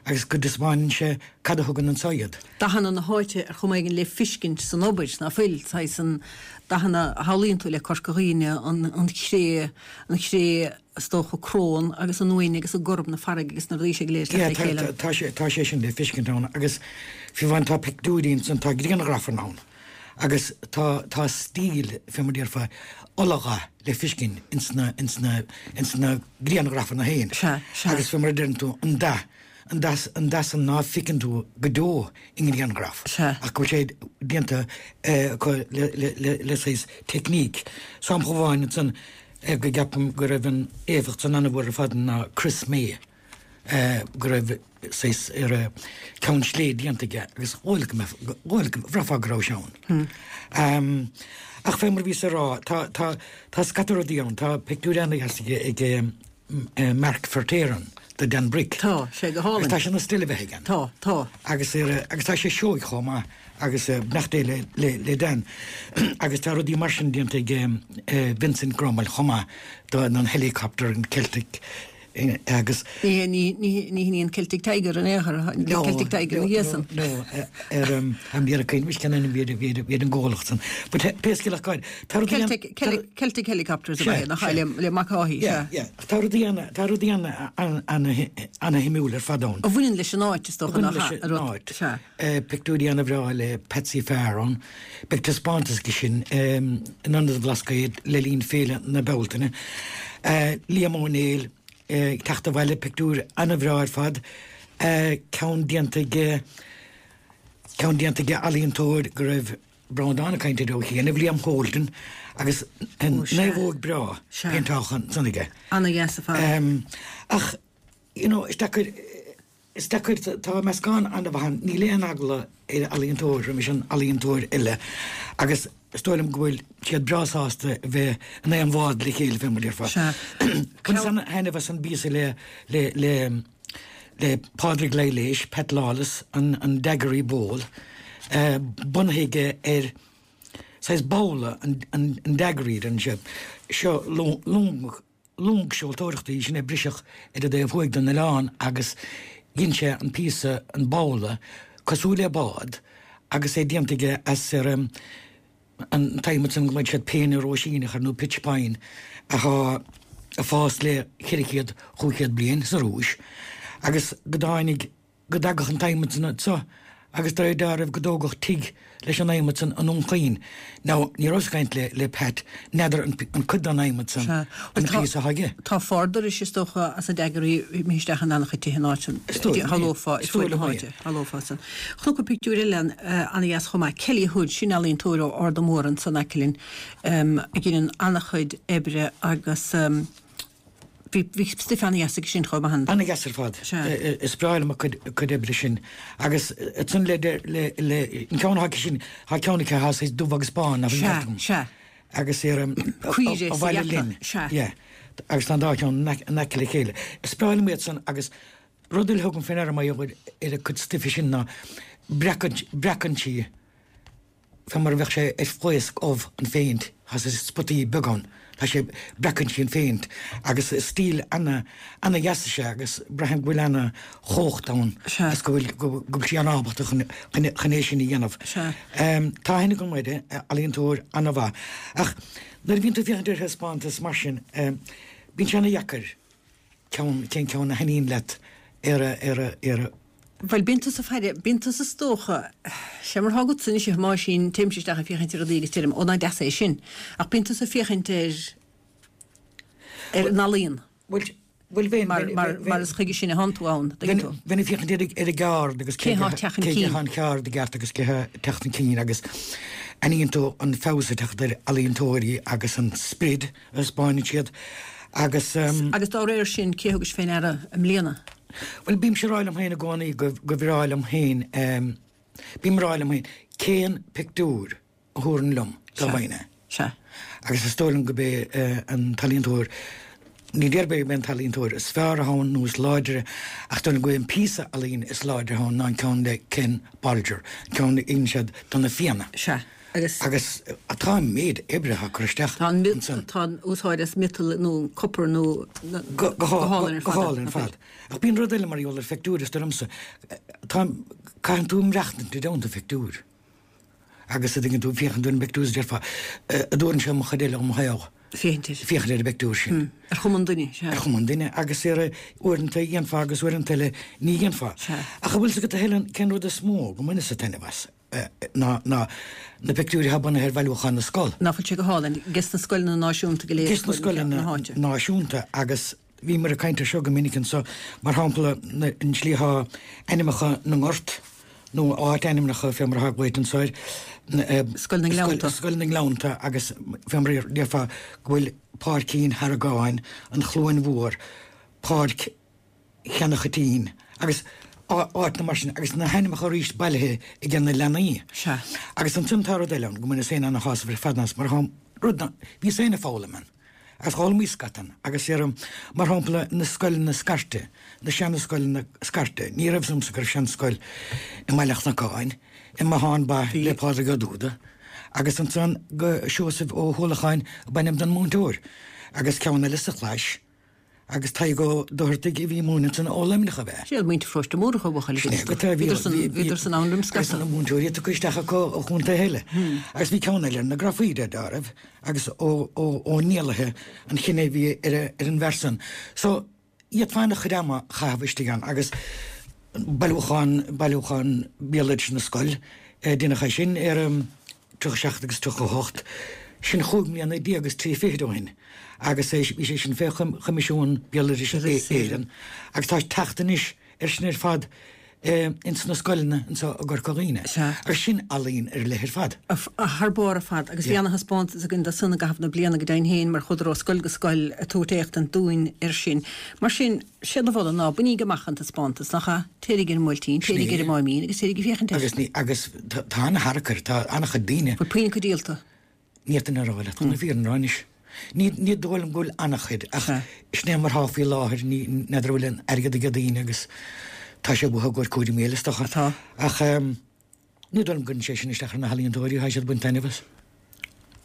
agus go dtaispeánann sé cad a thugann anso iad.
Dathanna na háite ar chuma éigin le fiscint san obair, ná fuil? Saghas an dathanna a shamhlaíonn tú le Corca Dhuibhne, an, an chré, an chré is dócha crón agus an uain agus an gorm na farraige agus na rudaí sin go léir
ag teacht le chéile. Tá sé, tá sé sin le fiscint ann agus fiú amháin tá pictiúirí ansan, tá grianghrafanna ann agus tá, tá stíl, fé mar déarfá, oladhath le fiscint ins na, ins na, ins na grianghrafanna féin.
Sea, sea.
Agus fé mar a deireann tú, an dath, an dath, an dath san ná feiceann tú go deo i ngrianghraf.
Sea.
Ach go bhfuil sé déanta acu le, le, le, le saghas teicníc. Sampla amháin ansan, go gceapaim go raibh an éifeacht san an-mhór ar fad ná Chris May, go raibh saghas ar a ceann slé déanta aige agus dhóigh go mbeadh, dhóigh go, bhraithfeá go raibh sé ann. Ach fé mar a bhíos ag rá, tá, tá, tá scata rudaí ann, tá pictiúr ana-dheas aige ag Mark Verteeren de Dan Brick.
Tá sé go hálainn.
Agus tá sé ina steillebheatha aige.
Tá, tá.
Agus ar, agus tá sé seoigh chomh maith. Agus beannacht Dé le Dan. Agus tá rudaí mar sin déanta ag Vincent Grummel chomh maith don helicopter, an Celtic agus.
Ní hin í an Celtic Tiger in aon chor, an Celtic Tiger ina dhiaidh san.
No, ar am dheireadh cuimhin cén ainm a bhí ar an gcomhlacht san. But pé scéal é cá
tá rudaí an. Celtic Helicopters ab ea, nach ea, le Mac Áthaidh,
sea. Yeah, yeah. Tá rudaí ana-shuimiúil ar fad ann.
A bhaineann leis an áit, is dócha,
nach ea? A bhaineann leis an áit. Sea. Pictiúirí ana-bhreá le Patsy Farr ann. Beidh taispeántas aige sin in Ionad an Bhlascaoid le linn Féile na Bealtaine. Liam Ó Néill ag teacht abhaile, pictiúr ana-bhreá ar fad. Ceann déanta ag ceann déanta ag ealaíontóir go raibh Breandán ag caint air ó chianaibh, Liam Holden, agus naomhóg breá péinteáilte ansan aige.
Ana-dheas ar fad.
Ach, you know, is deacair Is deacair, tá meascán an-mhaith ann, níl aon eagla ar ealaíontóir roimis an ealaíontóir eile agus is dóigh liom go bhfuil siad breá sásta a bheith in aon bhád le chéile, fé mar a déarfá.
Sea.
Bhaineas an-thaitneamh as an bpíosa le, le, le, le Pádraig Laighléis, Pat Lawless, an, an Daiquiri Bowl, bunaithe aige ar saghas babhla an, an, an daiquiri, deireann sé. Seo long, long seoltóireachta í sin a briseadh ar an dtaobh thuaidh den oileán agus dhein sé an píosa, an babhla, cosúil le bád agus é déanta aige as ar an t-adhmad san go mbeidh siad péine róisíneach ar nó pitch pine athá. ag fás le 400, 500 bliain sa Rúis agus go dtáinig, go dtagadh an t-adhmad san anso agus de réir dealraimh go dtógadh tigh leis an adhmad san i nDún Chaoin. Now, ní rabhas ag caint le, le Pat, n'fheadar an, an cuid den adhmad san
Sea.
an píosa atá aige.
Tá fardorais is dócha as na daigéirí imithe isteach in an-chuid tithe an áit san.
Is dóigh liom é.
Shamhlófá,
Is dóigh liom é.
Shamhlófá san. Chonac pictiúr eile an-dheas chomh maith. Kelly Hood, sin ealaíontóir ó Ard an Mhórdha ansan aice linn, a dheineann an-chuid oibre agus bhí bhí stuif an-dheas aige sin chomh maith.
An-dheas ar fad.
Sea.
Is breá liom a cuid a cuid oibre sin. Agus ansan le le le an ceann atá aici sin, tá ceann aici atá saghas dubh agus bán, nach bhfuil
Sea,
ceart agam?
sea.
Agus ar
Caoirigh
a
sa
bhaile
gheata,
linn.
sea.
Yeah. Agus tá an dá cheann in aice le chéile. Is breá liom iad san agus rud eile a thugaim fé ndeara mar gheall ar a cuid stuife sin ná breacann breacann sí fé mar a bheadh sé ar phlaosc ubh an phéint, tá saghas spotaí beaga ann, tá sé, breacann sí an phéint agus is stíl ana, ana dheas is ea agus braithim go bhfuil ana chumhacht ann
Sea.
agus go bhfuil, go bhfuil sí ana ábalta chun, chun, chun é sin a dhéanamh.
Sea.
Tá aithne agam uirthi, ealaíontóir ana mhaith. Ach nuair a bhíonn tú ag féachaint ar thaispeántas mar sin, bíonn sé ana dheacair ceann, cén ceann a thaitníonn leat ar a, ar a, ar a.
Bhuel, bíonn tusa faire, bíonn tusa is dócha, sé mar atá agatsa anois a Thomáisín, téimse isteach ag féachaint ar rudaí agus deirim, ó nach deas é sin. Ach bíonn tusa ag féachaint ar, ar an ealaíon.
Bhuel, bhuel bheinn,
Mar, mar, mar is chuige sin a thánn tú ann, dtuigeann tú.
Bheinn ag féachaint ar, ar an gceard agus
cé thá ag teacht chun
cé
cinn.
thá an ceard i gceart agus cé thá ag teacht chun cinn agus aithníonn tú an feabhas ag teacht ar ealaíontóirí agus an sprid a thaispeáineann siad agus.
Agus dá réir sin, cé thugais fé ndeara i mbliana?
Bhuel, bímse ag rá liom féin i gcónaí go bhreá liom féin, bím ag rá liom féin, cén pictiúr a thabharfainn liom dá bhfaighinn é?
Sea.
Agus is dóigh liom gurb é an t-ealaíontóir, ní déarfainn gurb é an t-ealaíontóir is fearr atá ann nó is láidre, ach dóigh liom gurb é an píosa ealaíne is láidre atá ann ná an ceann le Ken Bolger, an ceann a dhein siad do na Fianna.
Sea. Agus.
Agus tá an méid oibre atá curtha isteach
Tá an
ansan.
tá an úsáid as miotal nó copar nó
Go
go hálainn ar
go
fad.
hálainn ar fad. Ach bíonn rud eile mar gheall ar phictiúir, is dóigh liomsa. Tá, caitheann tú maireachtaint i dteannta phictiúir. Agus a dtuigeann tú, féachann tú ar an bpictiúr is déarfá, an dtabharfainnse mo chuid eile dhom shaol.
Féachaint air.
Féachaint ar an bpictiúr sin.
Ar chuma an duine, sea.
Ar chuma an duine agus ar uaireanta dhéanfá agus uaireanta eile ní dhéanfá.
Sea.
Ach an bhfuil 's agat a Helen cén rud is mó go mbaineas-sa taitneamh as? ná na pictiúirí atá bunaithe ar bhailiúchán na scol.
Ná fuil sé go hálainn? Ges na scoileanna náisiúnta go léir
Ges na scoileanna náisiúnta agus bhíomar ag caint ar seo go minic anso, mar shampla an tslí atá ainmneacha na ngort nó áit-ainmneacha fé mar atá glaoite anso air,
Scoil na nGleannta.
Scoil na nGleannta agus fé mar a déarfá go bhfuil Páircín Harragáin, an Chluain Mhór, Páirc Cheannach Choitín agus áiteanna mar sin agus na hainmneacha arís bailithe ag na leanaí.
Sea.
Agus ansin tá rud eile ann go mbaineas féin ana-shásamh ar fad as mar tá rud ná bhíos féin ag foghlaim ann agus d'fhoghlaimíos scata ann agus ar mar shampla na scoileanna scairte, na seana-scoileanna scairte, ní raibh 's agamsa go raibh seanscoil i mBaile an Chnocáin, i mBothán Ba le Pádraig Ó Dúda agus ansan go Seosamh Ó hUallacháin ab ainm don múinteoir agus ceann eile sa Chlais. Agus Tadhg Ó Dochartaigh a bhí ag múineadh ansan ó Luimneach ab ea?
Siad muintir Pharóiste Múrach a bhuachaill
Sin é agat é, bhí, bhí, bhí,
Bhíodar san ann roim
agus
scata.
na múinteoirí tugtha isteach acu ó chontaetha eile. Agus bhí ceann eile ar na Grafaí de réir agus Ó, Ó, Ó Niallaithe an chine a bhí ar, ar an bhfear san. So, d'fhéadfá an-chuid ama a chaitheamh istigh ann agus bailiúchán, bailiúchán béaloidis na scol, deineadh é sin ar, 37 agus 38, sin chúig mbliana déag agus trí fichid ó shin, agus bhí sé sin fé Choimisiún Béaloidis Éireann, agus tá teacht anois air sin ar fad ins na scoileanna anso i gCorca Dhuibhne. Agus sin ealaín ar leith ar fad.
Thar barr ar fad, agus bhí ana-thaispeántas againn de san i gcaitheamh na bliana go deimhin féin mar chuadar ó scoil go scoil ag tabhairt éachtaint dúinn air sin. Mar sin, Séard a mholfainn ná bainíg amach an taispeántas, nach ea? Téiríg ar an mBuailtín, téiríg ar an Máimín agus téiríg ag féachaint air.
Agus ní, agus tá ana-tharrac air, tá ana-chuid daoine.
Bhfuil puinn acu díolta?
Ní fhéadfainn a rá leat, chun na fírinne a rá anois. Ní, ní dóigh liom go bhfuil ana-chuid, ach sin é mar atá faoi láthair, ní, n'fheadar an bhfuil an airgead ag daoine agus tá sé uathu i gcomhair cúraimí eile is dócha.
Tá.
Ach. Ní dóigh liom go gcuireann sé sin isteach ar na healaíontóirí, tá siad ag baint taitneamh as.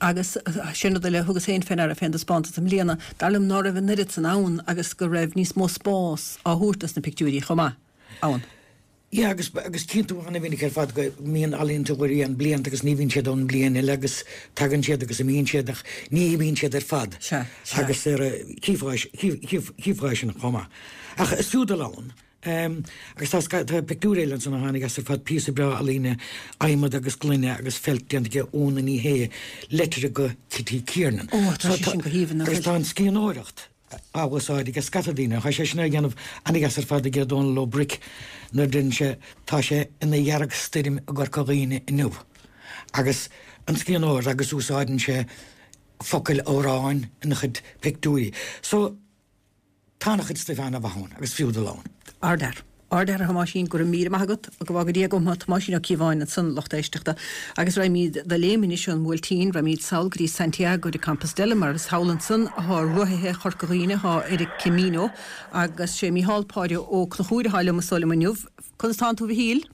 Agus sin rud eile a thugas féin fé ndeara fén dtaispeántas i mbliana, dar liom ná raibh an oiread san ann agus go raibh níos mó spás á thabhairt dos na pictiúirí chomh maith ann.
Yeah agus agus tchíonn tú ana-mhinic ar fad go mbíonn ealaíontóirí ann blianta agus ní bhíonn siad ann bliain eile agus tagann siad agus imíonn siad ach ní imíonn siad ar fad.
Sea, sea.
Agus ar chífeá chífeá é sin chomh maith. Ach is fiú dul ann. Agus tá tá pictiúr eile ansan a tháinig as ar fad píosa breá ealaíne adhmad agus gloine agus feilt déanta aige Úna Ní Shé leitir go Kitty Kiernan.
Ó tá sé sin go haoibhinn
nach bhfuil? Agus tá an sciannóireacht á úsáid ag scata daoine. Tá sé sin á dhéanamh an-deas ar fad aige Dónal Ó Bric nuair a deireann sé 'tá sé ina dheargstoirm i gCorca Dhuibhne inniu' agus an sciannóireacht agus úsáideann sé focail amhráin ina chuid pictiúirí. So tá ana-chuid stuif ana-mhaith ann agus fiú dul ann.
Ardfhear. Ardfhear a Thomáisín, go raibh míle maith agat, go bhfága Dia agam thú, Tomáisín Ó Cíobháin ansan, lucht éisteachta. Agus raghaimíd de léim anois ón mBuailtín, raghaimíd sall go dtí Santiago de Compostela, mar is thall ansan athá rothaithe Chorca Dhuibhne athá ar an Camino, agus sé Mícheál Páidí Ó Conchúir athá liom is dóigh liom inniu. Conas tánn tú a Mhichíl?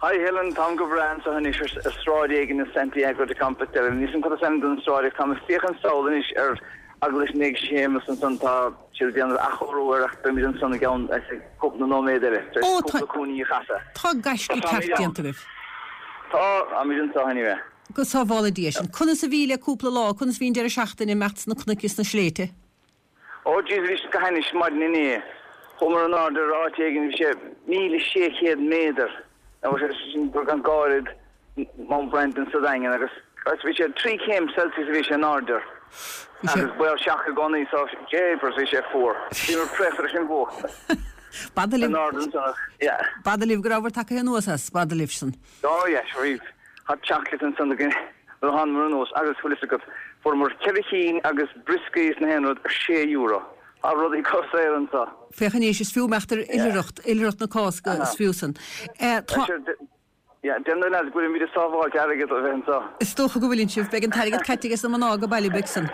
Hi Helen, táim go breá anseo anois ar sráid éigin i Santiago de Compostela. Níl 'fhios a'm cad is ainm don sráid ach táim ag féachaint sall anois ar Eaglais Naomh Séamus ansan, tá siad ag déanamh athchóiriú air ach beimid ansan i gceann cúpla nóiméad eile, tar éis cúpla cúinní a chasadh.
Tá gaisce ceart déanta agaibh.
Tá, táimid anseo anyway.
Go sábhála Dia sinn. Conas a bhí le cúpla lá, conas a bhí an deireadh seachtaine imeacht sna cnoic is sna sléibhte?
Ó jeez bhí sé go hainnis maidin inné. Chuamar in airde ar áit éigin bhí sé 1,600 méadar nó sé sin beagán gairid Mount Brandon sa Daingean agus agus bhí sé 3 céim Celsius a bhí sé in airde agus baol seaca i gcónaí so jeepers bhí sé fuar. Bhíomar préachta leis an bhfuacht.
B'fhada libh In airde ansan ach yeah. B'fhada libh go rabhabhair tagtha anuas as, b'fhada libh san.
Oh yeah sure bhí hot chocolate ansan againn nuair a thánamar anuas agus bhfuil fhios agat fuaireamar ceithre chinn agus brioscaí is na haon rud ar sé euro. Tá rudaí chomh saor
anso. Féach anois, is fiú imeacht ar oilithreacht, oilithreacht na Cásca, is fiú san.
Tá. Yeah, deir na lads go bhfuilimid ag sábháilt airgead ó bheith anso.
Is dócha go bhfuileann sibh. Beidh an t-airgead caite aige na mná go baile beidh san.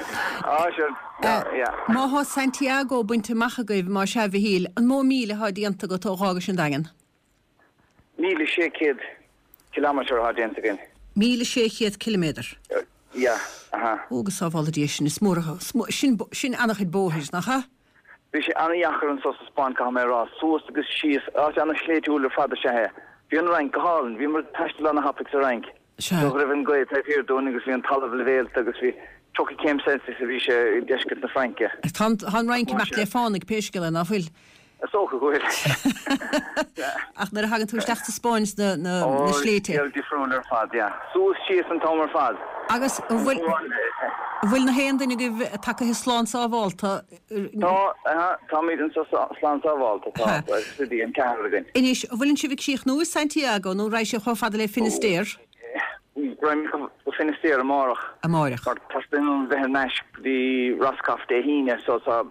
Ah, sure. Yeah, yeah.
Má thá Santiago bainte amach agaibh, má sea, a Mhichíl, an mó míle athá déanta agat ó dh'fhágais an Daingean?
1,600 kilometre atá déanta againn.
1,600 ciliméadar?
Yeah, aha.
Ó, go sábhála Dia sinn, is mór atá, sin, sin an-chuid bóthair, nach ea?
Bhí sé an-dheacair anso sa Spáinn, caithfidh mé a rá, suas agus síos, áit an-shléibhtiúil ar fad is ea é. Bhí an Fhrainc go hálainn, bhíomar ag taisteal an-thapaidh sa Fhrainc.
Sea.
Go raibh an ghaoth taobh thiar dúinn agus bhí an talamh leibhéalta agus bhí 30 céim Celsius a bhí sé i ndeisceart na Fraince.
Tá an, tá an Fhrainc ag imeacht le fánaidh pé scéal é, ná fuil?
Is dócha go bhfuil.
Ach nuair a thagann tú isteach sa Spáinn sna na
na sléibhte. Ó, scéal difriúil ar fad, yeah. Suas síos an t-am ar fad.
Agus an bhfuil an bhfuil na haon duine agaibh tagtha slán sábhálta?
Tá, aha, táimid anseo slán sábhálta, tá, agus bhí an ceathrar againn.
Anois, an bhfuileann sibh ag críochnú i Santiago nó raghaidh sibh chomh fada le Finisterre?
Raghaimid go Finisterre amárach.
Amárach.
Mar teastaíonn uainn bheith ar ais go dtí Roscoff Dé hAoine, so tá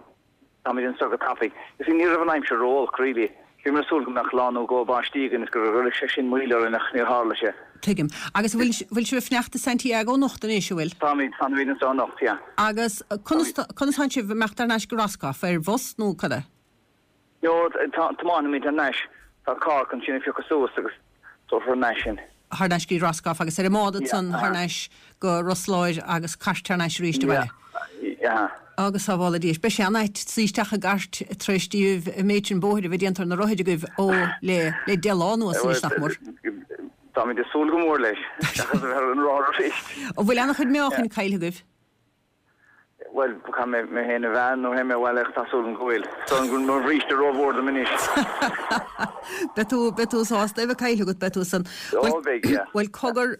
Táimid anseo go tapaidh. You see, ní raibh an aimsir ró-olc, really. Bhíomar ag súil go mbeadh lá nó dhó báistí againn is go gcuirfeadh sé sin moill orainn ach níor tharla sé.
Tuigim. Agus an bhfuil, bhfuil sibh ag fanacht i Santiago anocht anois, an bhfuil?
Táimid, fanfaimid anseo anocht, yeah.
Agus conas, conas tánn sibh ag imeacht thar n-ais go Roscoff? Ar bhus nó cad é?
No, tá, tiomáinfimid thar n-ais. Tá carr chun sinn a phiocadh suas agus tabharfar thar n-ais sinn.
Thar n-ais go dtí Roscoff agus ar an mbád ansan thar n-ais go Ros Láir agus cairt thar n-ais arís abhaile.
Yeah.
Agus sábhála Dia. Beidh sé an-ait suí isteach i gcairt tar éis díobh an méid sin bóthair a bheith déanta ar na rothair agaibh ó le le deich lá anuas anois nach mór.
Táimid ag súil go mór leis, seachas a bheith ar an rothar arís.
An bhfuil an-chuid meáchain caillte agaibh?
Bhuel, caithfidh mé mé féin a mheá nuair a théim abhaile ach tá súil agam go bhfuil. Is dóigh liom go bhfuil mo bhríste rómhór dom anois.
Beidh tú, beidh tú sásta é bheith caillte agat, beidh tú san.
Ó, beidh, yeah.
Bhuel, cogar,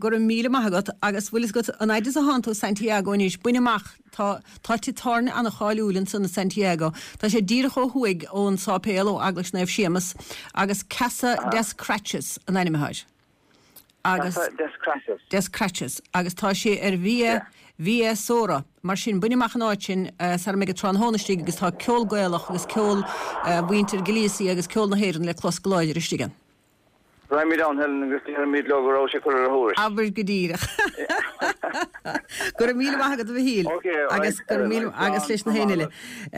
go raibh míle maith agat agus bhfuil fhios agat, an fhaid is a thánn tú i Santiago anois, bain amach, tá, tá tigh tábhairne an-cháiliúil ansan i Santiago. Tá sé díreach ó thuaidh ón sáipéal, ó Eaglais Naomh Séamas, agus Casa des Crachis an ainm atá air.
agus Casa des Crachis.
des Crachis agus tá sé ar Via Via Sora. Mar sin, bain amach an áit sin sara mbeidh an tráthnóna istigh agus tá ceol Gaelach agus ceol mhuintir Galicia agus ceol na hÉireann le clos go láidir istigh ann.
Raghaimid ann, Helen, agus déarfaimid leo go raibh sé curtha ar a thuairisc.
Abair go díreach. Go raibh míle maith agat a Mhichíl. Agus go raibh míle agus leis na héinne eile.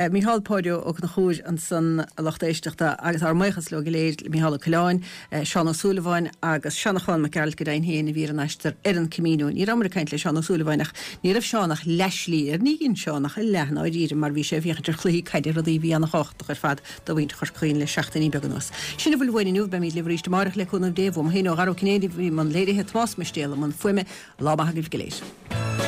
Micheál Páidí Ó Conchúir ansan a lucht éisteachta agus ár mbuíochas leo go léir, le Micheál Ó Coileáin, Seán Ó Súilleabháin agus Seanchán Mac Gearailt go deimhin féin a bhí ar an aistear ar an Camino. Ní rabhamar ag caint le Seán Ó Súilleabháin ach ní raibh Seán ach leathshlí air. Ní dhein Seán ach a leath i ndáiríre mar bhí sé ag féachaint ar chluichí caide, rudaí a bhí ana-thábhachtach ar fad do mhuintir Chorca Dhuibhne le seachtainí beaga anuas. Sin a bhfuil uainn inniu, beimid libh arís amárach le cúnamh Dé. Uaim féin ó Dhara Ó Cinnéide a bhí i mbun léirithe, Tomás Mistéal i mbun fuaime. Lá maith agaibh go léir.